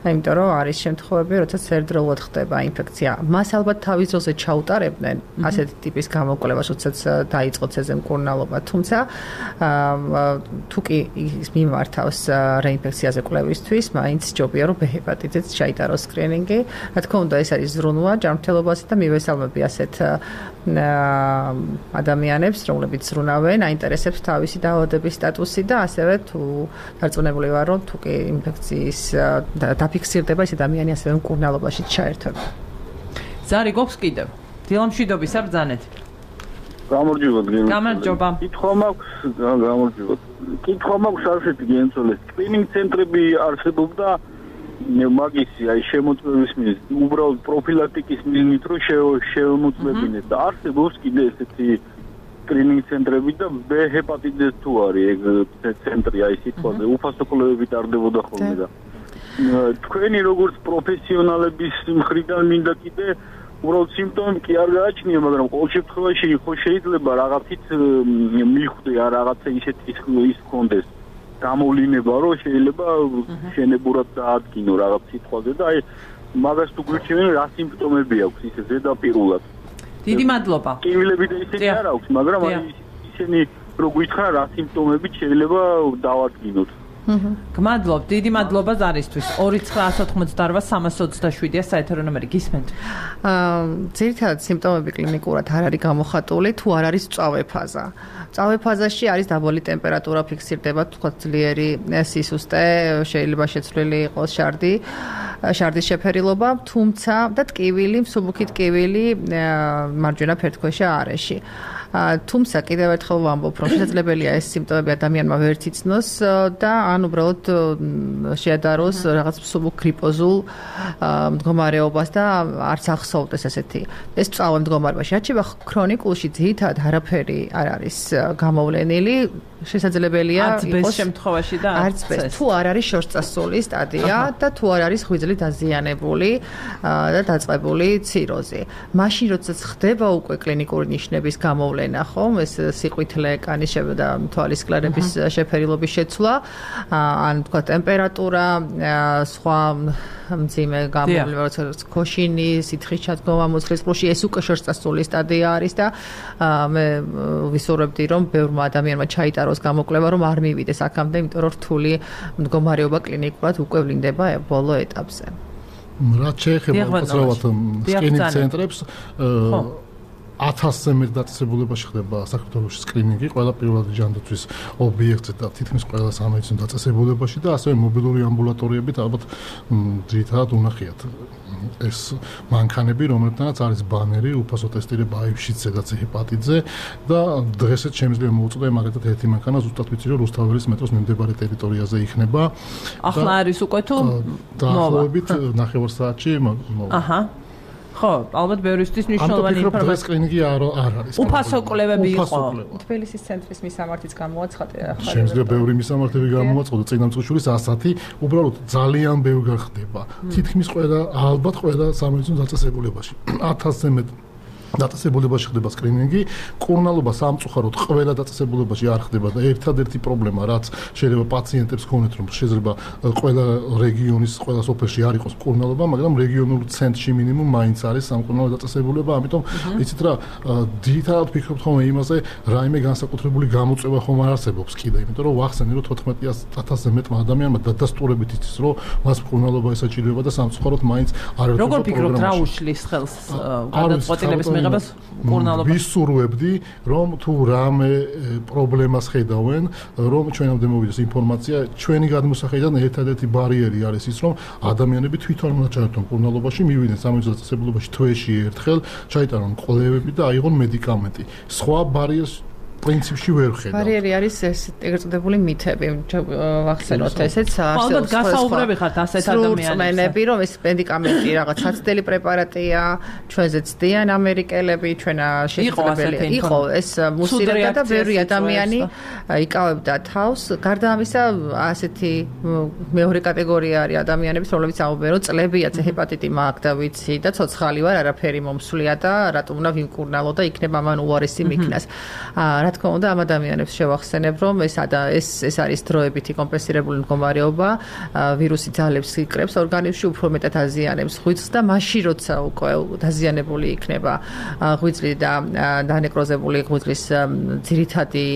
იმიტომ რომ არის შემთხვევები, როდესაც ერთდროულად ხდება ინფექცია. მას ალბათ თავის დროზე ჩაუტარებდნენ ასეთი ტიპის გამოკვლევას, როდესაც დაიწყო C-ზე მკურნალობა, თუმცა თუ კი ის მიმართავს რეინფექციაზე კვლევისთვის, მაინც ჯობია, რომ B ჰეპატიტზეც ჩაიტაროს სკრინინგი. რა თქმა უნდა, ეს არის ზრუნვა ჯანმრთელობაზე და მივესალმები ასეთ ადამიანებს, რომლებიც ზრუნავენ, აინტერესებს თავისი დაავადების სტატუსი და ასევე თუ დარწმუნებული ვარ, რომ თუ კი ინფექციის დაფიქსირდება, ეს ადამიანი ასევე მკურნალობაში ჩაერთვება. ზარი გვაქვს კიდევ. დილამშვიდობის არ ბრძანეთ. გამარჯობა გენცოლე. გამარჯობა. კითხვა მაქვს, გამარჯობა. კითხვა მაქვს ასეთი გენცოლე. სკრინინგ ცენტრები არსებობდა მაგისი აი შემოწმების მიზნით, უბრალოდ პროფილაქტიკის მიზნით რომ შემოწმებინეთ და არსებობს კიდე ესეთი სკრინინგ ცენტრები და B ჰეპატიტის თუ არის ეგ ცენტრი აი სიტყვაზე უფასო კვლევები ტარდებოდა ხოლმე და თქვენი როგორც პროფესიონალების მხრიდან მინდა კიდე უბრალოდ სიმპტომები კი არ გააჩნია, მაგრამ ყოველ შემთხვევაში ხო შეიძლება რაღაცით მიხვდე რა რაღაცა ისეთი ის კონდეს გამოვლინება რომ შეიძლება შენებურად დაადგინო რაღაც სიტყვაზე და აი მაგას თუ გვირჩევენ რა სიმპტომები აქვს ისე ზედაპირულად. დიდი მადლობა. კივილები და ისეთი არ აქვს, მაგრამ აი ისინი რო გითხრა რა სიმპტომებით შეიძლება დავადგინოთ. გმადლობ, დიდი მადლობა ზარისთვის. ორი ცხრაას ოთხმოცდაოთხ სამას ოცდაშვიდია საეთერო ნომერი, გისმენთ. აა ძირითადად სიმპტომები კლინიკურად არ არის გამოხატული, თუ არ არის მწვავე ფაზა. მწვავე ფაზაში არის დაბალი ტემპერატურა ფიქსირდება, თქვა ძლიერი სისუსტე, შეიძლება შეცვლილი იყოს შარდი. შარდის შეფერილობა, თუმცა და ტკივილი, მსუბუქი ტკივილი მარჯვენა ფერდქვეშა არეში. თუმცა კიდევ ერთხელ ვამბობ, რომ შესაძლებელია ეს სიმპტომები ადამიანმა ვერ იცნოს და ან უბრალოდ შეადაროს რაღაც მსუბუქ გრიპოზულ მდგომარეობას და არც ახსოვდეს ესეთი. ეს წავე მდგომარეობაში რჩება ქრონიკულში ძირითადად არაფერი არ არის გამოვლენილი, შესაძლებელია იყოს შემთხვევაში და არც ეს თუ არ არის შორსწასული სტადია და თუ არ არის ღვიძლი დაზიანებული და დაწყებული ციროზი. მაშინ როდესაც ხდება უკვე კლინიკური ნიშნების გამოვლენა, ხომ, ეს სიყვითლე, კანის და თვალის კლარების შეფერილობის შეცვლა, ან თქვა ტემპერატურა, სხვა მძიმე გამოვლენა, როგორც ქოშინი, სითხის ჩადგომა მუცლის ყრუში, ეს უკვე შორსწასული სტადია არის და მე ვისურვებდი, რომ ბევრმა ადამიანმა ჩაიტაროს გამოკვლევა, რომ არ მივიდეს აქამდე, იმიტომ რომ რთული მდგომარეობა კლინიკურად უკვე ვლინდება ბოლო ეტაპზე. რაც შეეხება უცრავად სკრინინგ ცენტრებს, ათასზე მეტ დაწესებულებაში ხდება საქართველოში სკრინინგი, ყველა პირველადი ჯანდაცვის ობიექტზე და თითქმის ყველა სამედიცინო დაწესებულებაში და ასევე მობილური ამბულატორიებით ალბათ ძირითადად უნახიათ ეს მანქანები, რომლებთანაც არის ბანერი, უფასო ტესტირება აივშიც ზედაც ჰეპატიტზე და დღესაც შემიძლია მოუწოდე მაგათად ერთი მანქანა ზუსტად ვიცი რომ რუსთაველის მეტროს მიმდებარე ტერიტორიაზე იქნება. ახლა არის უკვე თუ დაახლოებით ნახევარ საათში მოვა. აჰა. ხო, ალბათ ბევრისთვის მნიშვნელოვანი ინფორმაცია. ამიტომ სკრინინგი არ არ არის. უფასო კვლევები იყო. თბილისის ცენტრის მისამართიც გამოაცხადე ახლა. შემიძლია ბევრი მისამართები გამოაცხადო წინამძღვრიშვილის ასათი, უბრალოდ ძალიან ბევრი ხდება. თითქმის ყველა, ალბათ ყველა სამედიცინო დაწესებულებაში. ათასზე მეტ დაწესებულებაში ხდება სკრინინგი, კურნალობა სამწუხაროდ ყველა დაწესებულებაში არ ხდება და ერთადერთი პრობლემა, რაც შეიძლება პაციენტებს ჰქონდეთ, რომ შეიძლება ყველა რეგიონის, ყველა სოფელში არ იყოს კურნალობა, მაგრამ რეგიონულ ცენტრში მინიმუმ მაინც არის სამკურნალო დაწესებულება, ამიტომ იცით რა, ძირითადად ვფიქრობთ ხოლმე იმაზე, რაიმე განსაკუთრებული გამოწვევა ხომ არ არსებობს კიდე, იმიტომ რომ ვახსენე, რომ თოთხმეტ ათასზე მეტ ადამიანმა დადასტურებით იცის, რომ მას კურნალობა ესაჭიროება და სამწუხაროდ მაინც არ ერთობა პროგრამაში. როგორ ფიქრობთ, რა უშლის ხელს გადაწყვეტილების მიღებას კურნალობა? ვისურვებდი, რომ თუ რამე პრობლემას ხედავენ, რომ ჩვენამდე მოვიდეს ინფორმაცია, ჩვენი გადმოსახედიდან ერთადერთი ბარიერი არის ის, რომ ადამიანები თვითონ უნდა ჩაერთონ კურნალობაში, მივიდნენ სამედიცინო დაწესებულებაში თვეში ერთხელ, ჩაიტარონ კვლევები და აიღონ მედიკამენტი. სხვა ბარიერს პრინციპში ვერ ხედავ. ბარიერი არის ეს ეგრეთ წოდებული მითები, ვახსენოთ ესეც არსებობს. ალბათ გასაუბრები ხართ ასეთ ადამიანებს, რომ ეს მედიკამენტი რაღაც საცდელი პრეპარატია, ჩვენზე ცდიან ამერიკელები, ჩვენა შესაძლებელია. იყო ეს მუსირება და ბევრი ადამიანი იკავებდა თავს. გარდა ამისა, ასეთი მეორე კატეგორია არის ადამიანების, რომლებიც ამბობენ, რომ წლებია ჰეპატიტი მაქვს და ვიცი და ცოცხალი ვარ, არაფერი მომსვლია და რატომ უნდა ვიმკურნალო და იქნება მან უარესი მიქნას. რა თქმა უნდა, ამ ადამიანებს შევახსენებ, რომ ეს ეს ეს არის დროებითი კომპენსირებული მდგომარეობა, ვირუსი ძალებს იკრებს ორგანიზმში, უფრო მეტად აზიანებს ღვიძლს და მაშინ როცა უკვე დაზიანებული იქნება ღვიძლი და დანეკროზებული ღვიძლის ძირითადი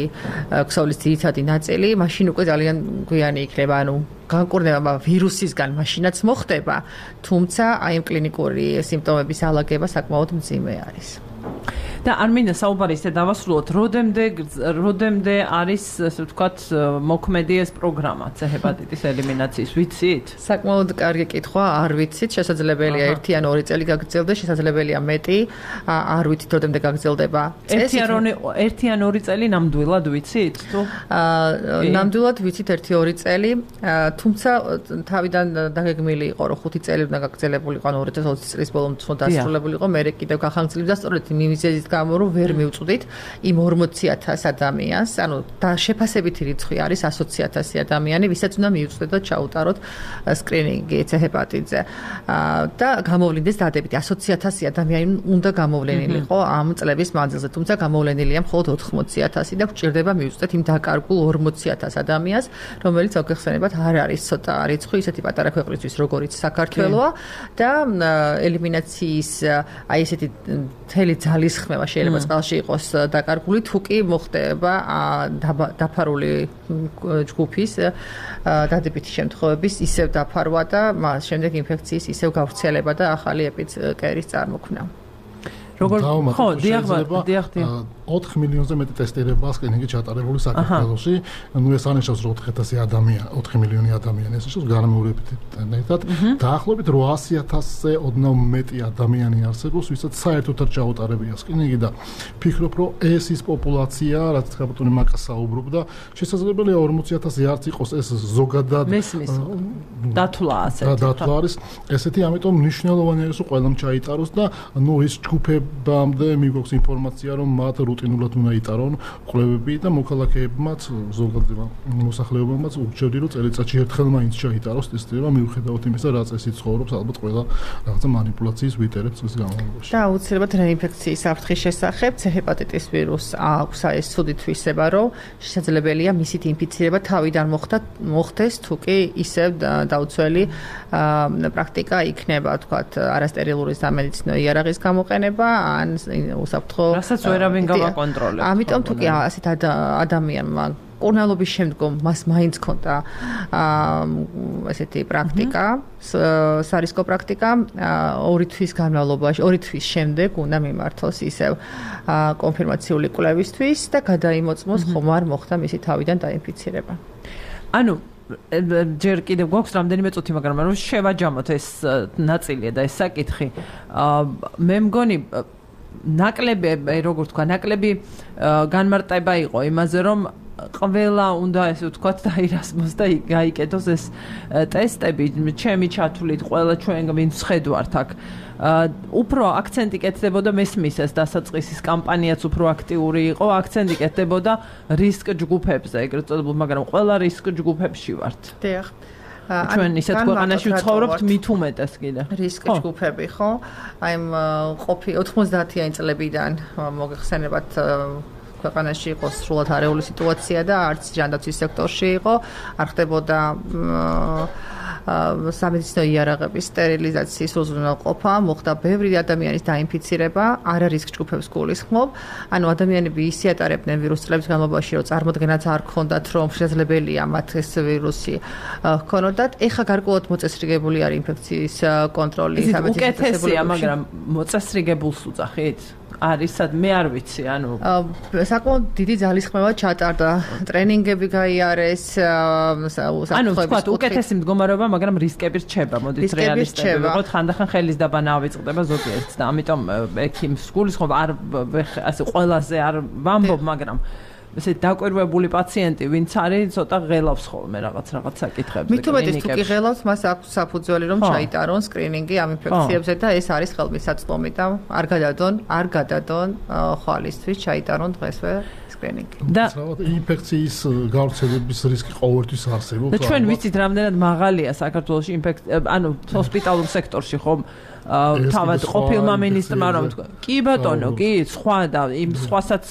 ქსოვილის ძირითადი ნაწილი, მაშინ უკვე ძალიან გვიანი იქნება, ანუ განკურნება ვირუსისგან მაშინაც მოხდება, თუმცა აი ამ კლინიკური სიმპტომების ალაგება საკმაოდ მძიმე არის. და არ მინდა საუბარი ისე დავასრულოთ, როდემდე როდემდე არის, ასე ვთქვათ, მოქმედი ეს პროგრამა ჰეპატიტის ელიმინაციის, ვიცით? საკმაოდ კარგი კითხვა, არ ვიცით, შესაძლებელია ერთი ან ორი წელი გაგრძელდეს, შესაძლებელია მეტი, არ ვიცით როდემდე გაგრძელდება. ერთი ან ორი წელი ნამდვილად ვიცით? თუ ნამდვილად ვიცით ერთი ორი წელი, თუმცა თავიდან დაგეგმილი იყო, რომ ხუთი წელი უნდა გაგრძელებულიყო, ან ორი წლის წლის ბოლომდ დასრულებულიყო, მე კიდევ გახანგრძლივდა და სწორედ იმის გამო რომ ვერ მივწვდით იმ ორმოცი ათას ადამიანს, ანუ და შეფასებითი რიცხვი არის ათი ათასი ადამიანი, ვისაც უნდა მივწვდეთ და ჩაუტაროთ სკრინინგი ჰეპატიტზე. და გამოვლინდეს დადებითი ათი ათასი ადამიანი უნდა გამოვლენილიყო ამ წლების მანძილზე, თუმცა გამოვლენილია მხოლოდ ოთხმოცი ათასი და გვჭირდება მივწვდეთ იმ დაკარგულ ორმოცი ათას ადამიანს, რომელიცოგეხსენებათ არ არის ცოტა რიცხვი, ისეთი პატარა ქვეყნისთვის, როგორიც საქართველოა და ელიმინაციის აი ესეთი მთელი ძალის ხმევა შეიძლება წყალში იყოს დაკარგული, თუ კი მოხდება დაფარული ჯგუფის დადებითი შემთხვევების ისევ დაფარვა და მას შემდეგ ინფექციის ისევ გავრცელება და ახალი ეპიდემიის წარმოქმნა. როგორ ხო, დიახ, დიახ, ოთხ მილიონზე მეტი ტესტირება სკრინინგი ჩატარებული საქართველოში. ნუ ეს ანიშნავს, რომ ოთხ ათასი ადამიანი, ოთხ მილიონი ადამიანი ეს ის განმეორებითთან ერთად დაახლოებით რვაასი ათასზე ოდნავ მეტი ადამიანი არსებობს, ვისაც საერთოდ არ ჩაუტარებია სკრინინგი და ფიქრობ, რომ ეს ის პოპულაცია, რაც ხაბატონი მაკას საუბრობდა, შესაძლებელია ორმოცი ათასი არც იყოს ეს ზოგადად დათვლა ასეთი. დათვლა არის ესეთი, ამიტომ მნიშვნელოვანია ის, რომ ყველამ ჩაიტაროს და ნუ ის ჯგუფებამდე მიგვაქვს ინფორმაცია, რომ მათ რუტინულად უნდა იტარონ კვლევები და მოქალაქეებმაც ზოგადად მოსახლეობამაც ურჩევდი, რომ წელიწადში ერთხელ მაინც ჩაიტაროს ტესტირება, მიუხედავად იმისა, რა წესით ცხოვრობს, ალბათ ყველა რაღაცა манипуляციის ვიტერებს წლის განმავლობაში. და აუცილებლად რეინფექციის საფრთხის შესახებ ჰეპატიტის ვირუსს აქვს ეს ცუდი თვისება, რომ შესაძლებელია მისით ინფიცირება თავიდან მოხდეს, თუ კი ისევ დაუცველი პრაქტიკა იქნება, თქვათ, არასტერილური სამედიცინო იარაღის გამოყენება ან უსაფრთხო რასაც ვერავინ გავაკონტროლებს. ამიტომ თუ კი ასეთ ადამიანმა კურნალობის შემდგომ მას მაინც ქონდა ესეთი პრაქტიკა, სარისკო პრაქტიკა, ორი თვის განმავლობაში, ორი თვის შემდეგ უნდა მიმართოს ისევ კონფირმაციული კვლევისთვის და გადაიმოწმოს ხომ არ მოხდა მისი თავიდან დაინფიცირება. ანუ ჯერ კიდევ გვაქვს რამდენიმე წუთი, მაგრამ რომ შევაჯამოთ ეს ნაწილია და ეს საკითხი. მე მგონი ნაკლები, როგორ თქვა, ნაკლები განმარტება იყო იმაზე, რომ ყველა უნდა ესე ვთქვათ დაირასმოს და გაიკეთოს ეს ტესტები, ჩემი ჩათვლით, ყველა ჩვენ ვინც ხედავთ აქ. უფრო აქცენტი კეთდებოდა მესმის ეს დასაწყისის კამპანიაც უფრო აქტიური იყო, აქცენტი კეთდებოდა რისკ ჯგუფებზე, ეგრეთ წოდებულ, მაგრამ ყველა რისკ ჯგუფებში ვართ. დიახ. ჩვენ ისეთ ქვეყანაში ვცხოვრობთ, მით უმეტეს კიდე. რისკ ჯგუფები, ხო? აი ყოფი ოთხმოცდაათიანი წლებიდან მოგეხსენებათ ქვეყანაში იყო სრულად არეული სიტუაცია და არც ჯანდაცვის სექტორში იყო, არ ხდებოდა სამედიცინო იარაღების სტერილიზაციის უზრუნველყოფა, მოხდა ბევრი ადამიანის დაინფიცირება, არა რისკ ჯგუფებს გულისხმობ. ანუ ადამიანები ისიატარებდნენ ვირუსის წლების განმავლობაში, რომ წარმოდგენაც არ ქონდათ, რომ შესაძლებელია მათ ეს ვირუსი ჰქონოდათ. ეხლა გარკვეულად მოწესრიგებული არის ინფექციის კონტროლი სამედიცინო უკეთესია, მაგრამ მოწესრიგებულს უძახით? არის სად მე არ ვიცი, ანუ საკმაოდ დიდი ძალისხმევა ჩატარდა, ტრენინგები გაიარეს, ანუ თქვათ უკეთესი მდგომარეობა, მაგრამ რისკები რჩება, მოდით რეალისტები ვიყოთ, ხანდახან ხელის დაბანა ავიწყდება ზოგიერთს და ამიტომ ექიმს გულისხმობ არ ასე ყველაზე არ ვამბობ, მაგრამ ესე დაკვირვებული პაციენტი, ვინც არის, ცოტა ღელავს ხოლმე რაღაც რაღაც საკითხებზე. მით უმეტეს თუ კი ღელავს, მას აქვს საფუძველი, რომ ჩაიტარონ სკრინინგი ამ ინფექციებზე და ეს არის ხელმისაწვდომი და არ გადადონ, არ გადადონ ხვალისთვის ჩაიტარონ დღესვე სკრინინგი. და ინფექციის გავრცელების რისკი ყოველთვის არსებობს. და ჩვენ ვიცით, რამდენად მაღალია საქართველოში ინფექცია, ანუ ჰოსპიტალურ სექტორში ხომ თავად ყოფილმა მინისტრმა რომ თქვა, კი ბატონო, კი, სხვა და იმ სხვასაც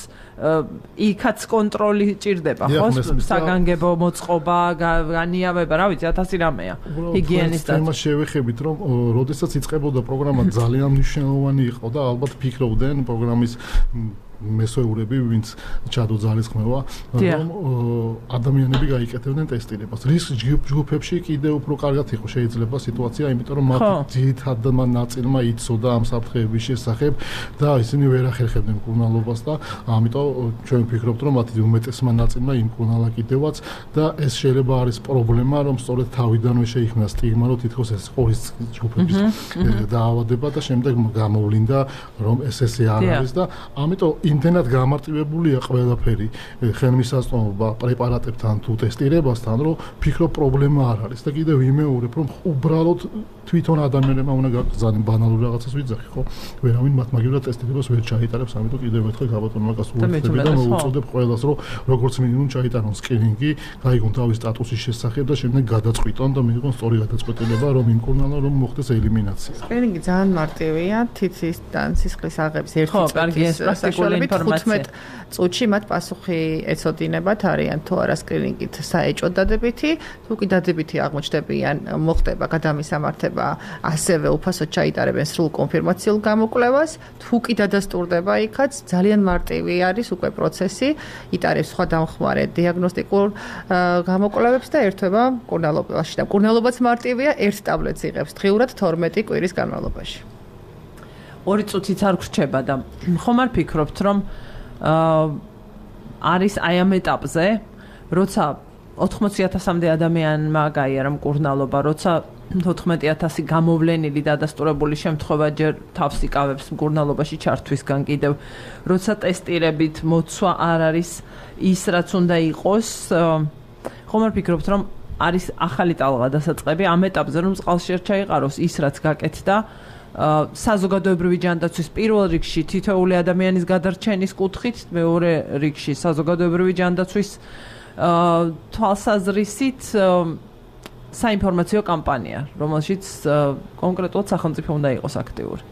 იქაც კონტროლი ჭირდება, ხო? საგანგებო მოწყობა, განიავება, რა ვიცი, ათასი რამეა. ჰიგიენის და თემა შევეხებით, რომ როდესაც იწყებოდა პროგრამა ძალიან მნიშვნელოვანი იყო და ალბათ ფიქრობდნენ პროგრამის მესვეურები, ვინც ჩადო ძალისხმევა, რომ ადამიანები გაიკეთებდნენ ტესტირებას. რისკ ჯგუფებში კიდევ უფრო კარგად იყო შეიძლება სიტუაცია, იმიტომ რომ მათ ძირითადმა ნაწილმა იცოდა ამ საფრთხეების შესახებ და ისინი ვერ ახერხებდნენ მკურნალობას და ამიტომ ჩვენ ვფიქრობთ, რომ მათი უმეტესმა ნაწილმა იმკურნალა კიდევაც და ეს შეიძლება არის პრობლემა, რომ სწორედ თავიდანვე შეიქმნა სტიგმა, რომ თითქოს ეს ყურის ჯგუფების დაავადება და შემდეგ გამოვლინდა, რომ ეს ესე არ არის და ამიტომ იმდენად გამარტივებულია ყველაფერი ხელმისაწვდომობა პრეპარატებთან თუ ტესტირებასთან, რომ ფიქრობ პრობლემა არ არის და კიდევ ვიმეორებ, რომ უბრალოდ თვითონ ადამიანებმა უნდა გაგზავნონ ბანალურ რაღაცას ვიძახი, ხო? ვერავინ მათ მაგივრად ტესტირებას ვერ ჩაიტარებს, ამიტომ კიდევ ერთხელ გაბატონმა გასულეთები და მოუწოდებ ყველას, რომ როგორც მინიმუმ ჩაიტარონ სკრინინგი, გაიგონ თავის სტატუსის შესახებ და შემდეგ გადაწყვიტონ და მიიღონ სწორი გადაწყვეტილება, რომ იმკურნალონ, რომ მოხდეს ელიმინაცია. სკრინინგი ძალიან მარტივია, თითისთან სისხლის აღების ერთი ხო, კარგი ეს პრაქტიკული თხუთმეტ წუთში მათ პასუხი ეცოდინებათ, არიან თუ არა სკრინინგით საეჭვოდ დადებითი, თუ კი დადებითი აღმოჩნდებიან, მოხდება გადამისამართება, ასევე უფასოდ ჩაიტარებენ სრულ კონფირმაციულ გამოკვლევას, თუ კი დადასტურდება იქაც, ძალიან მარტივი არის უკვე პროცესი, იტარებს სხვა დამხმარე დიაგნოსტიკურ გამოკვლევებს და ერთვება მკურნალობაში და მკურნალობაც მარტივია, ერთ ტაბლეტს იღებს დღიურად თორმეტი კვირის განმავლობაში. ორი წუთიც არ გრჩება და ხომ არ ფიქრობთ რომ აა არის აი ამ ეტაპზე როცა ოთხმოცი ათასამდე ადამიანმა გაიარა მკურნალობა, როცა თოთხმეტი ათასი გამოვლენილი დადასტურებული შემთხვევა ჯერ თავს იკავებს მკურნალობაში ჩართვისგან კიდევ, როცა ტესტირებით მოცვა არ არის ის რაც უნდა იყოს, ხომ არ ფიქრობთ რომ არის ახალი ტალღა დასაწყები ამ ეტაპზე რომ წყალში არ ჩაიყაროს ის რაც გაკეთდა საზოგადოებრივი ჯანდაცვის პირველ რიგში თითოეული ადამიანის გადარჩენის კუთხით, მეორე რიგში საზოგადოებრივი ჯანდაცვის თვალსაზრისით საინფორმაციო კამპანია, რომელშიც კონკრეტულად სახელმწიფო უნდა იყოს აქტიური.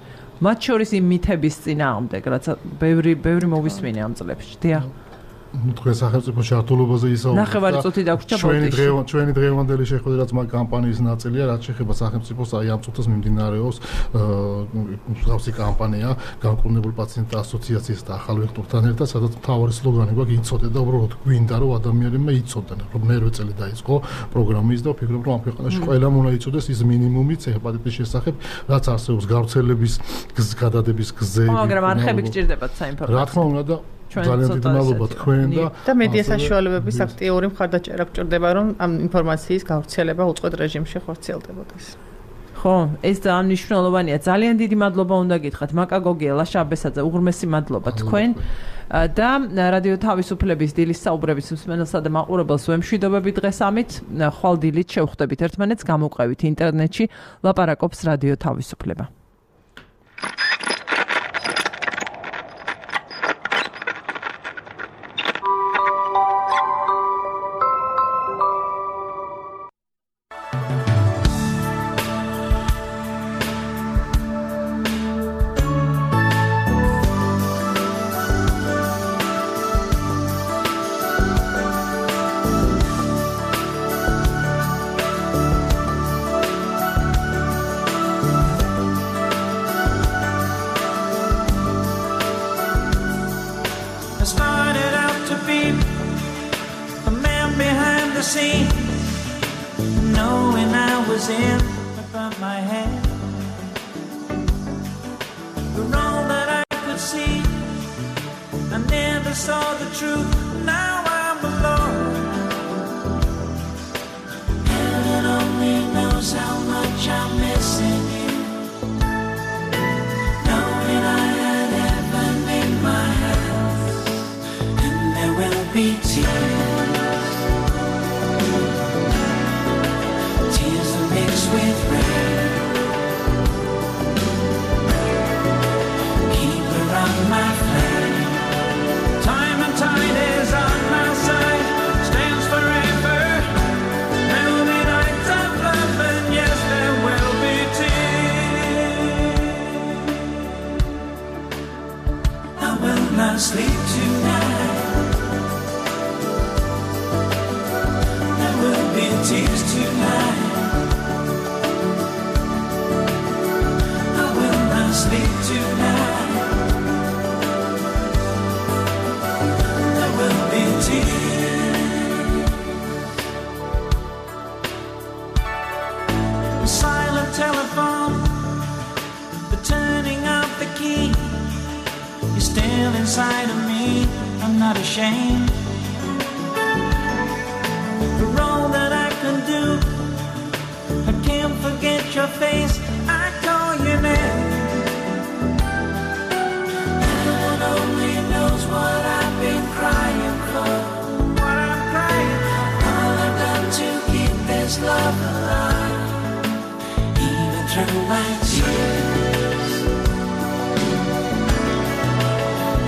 მათ შორის იმ მითების წინააღმდეგ, რაც ბევრი ბევრი მოვისმინე ამ წლებში. დიახ. ну თქვენ სახელმწიფო ჩართულობაზე ისაუბრეთ. ნახევარი წუთი დაგვრჩა ჩვენი დღევანდელი ჩვენი დღევანდელი შეხვედრა რაც მაგ კამპანიის ნაწილია, რაც შეეხება სახელმწიფოს აი ამ წუთას მიმდინარეობს მსგავსი კამპანია განკურნებულ პაციენტთა ასოციაციის და ახალ ვექტორთან ერთად, სადაც მთავარი სლოგანი გვაქვს იცოდე და უბრალოდ გვინდა რომ ადამიანებმა იცოდნენ, რომ მერვე წელი დაიწყო პროგრამის და ვფიქრობ რომ ამ ქვეყანაში ყველამ უნდა იცოდეს ის მინიმუმიც ჰეპატიტის შესახებ, რაც არსებობს გავრცელების გადადების გზები. მაგრამ არხები გჭირდებათ საინფორმაციო. რა თქმა უნდა და ძალიან დიდი მადლობა თქვენ და და მედია საშუალებების აქტიური მხარდაჭერა გჭირდება რომ ამ ინფორმაციის გავრცელება უწყვეტ რეჟიმში ხორციელდებოდეს. ხო, ეს ძალიან მნიშვნელოვანია. ძალიან დიდი მადლობა უნდა გითხრათ მაკა გოგია, ლაშა აბესაძე, უღრმესი მადლობა თქვენ და რადიო თავისუფლების დილის საუბრების მსმენელსა და მაყურებელს ვემშვიდობებით დღეს ამით. ხვალ დილით შევხვდებით ერთმანეთს, გამოყვებით ინტერნეტში ლაპარაკობს რადიო თავისუფლება.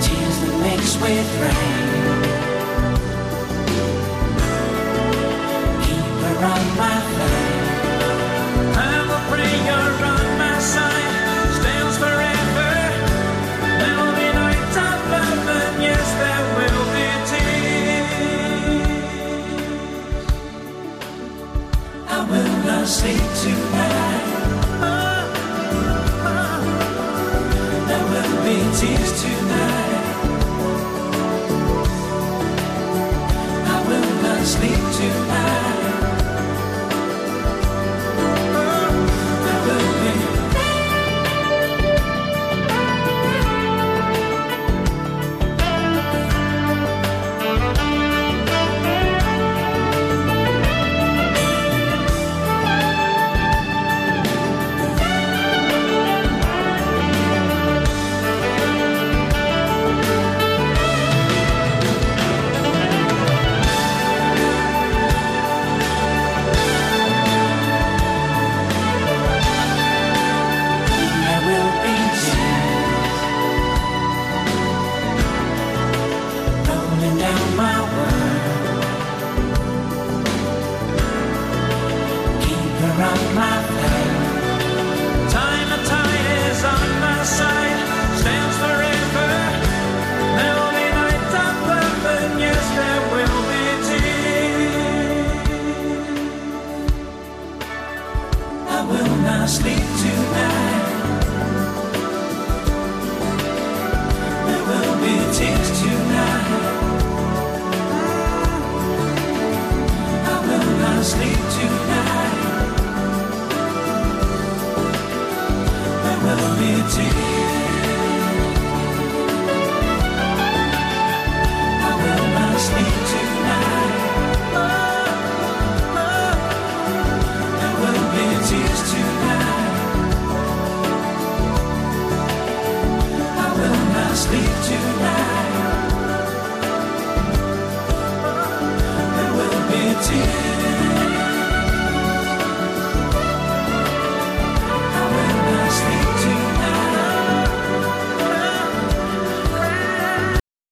Tears that mix with rain.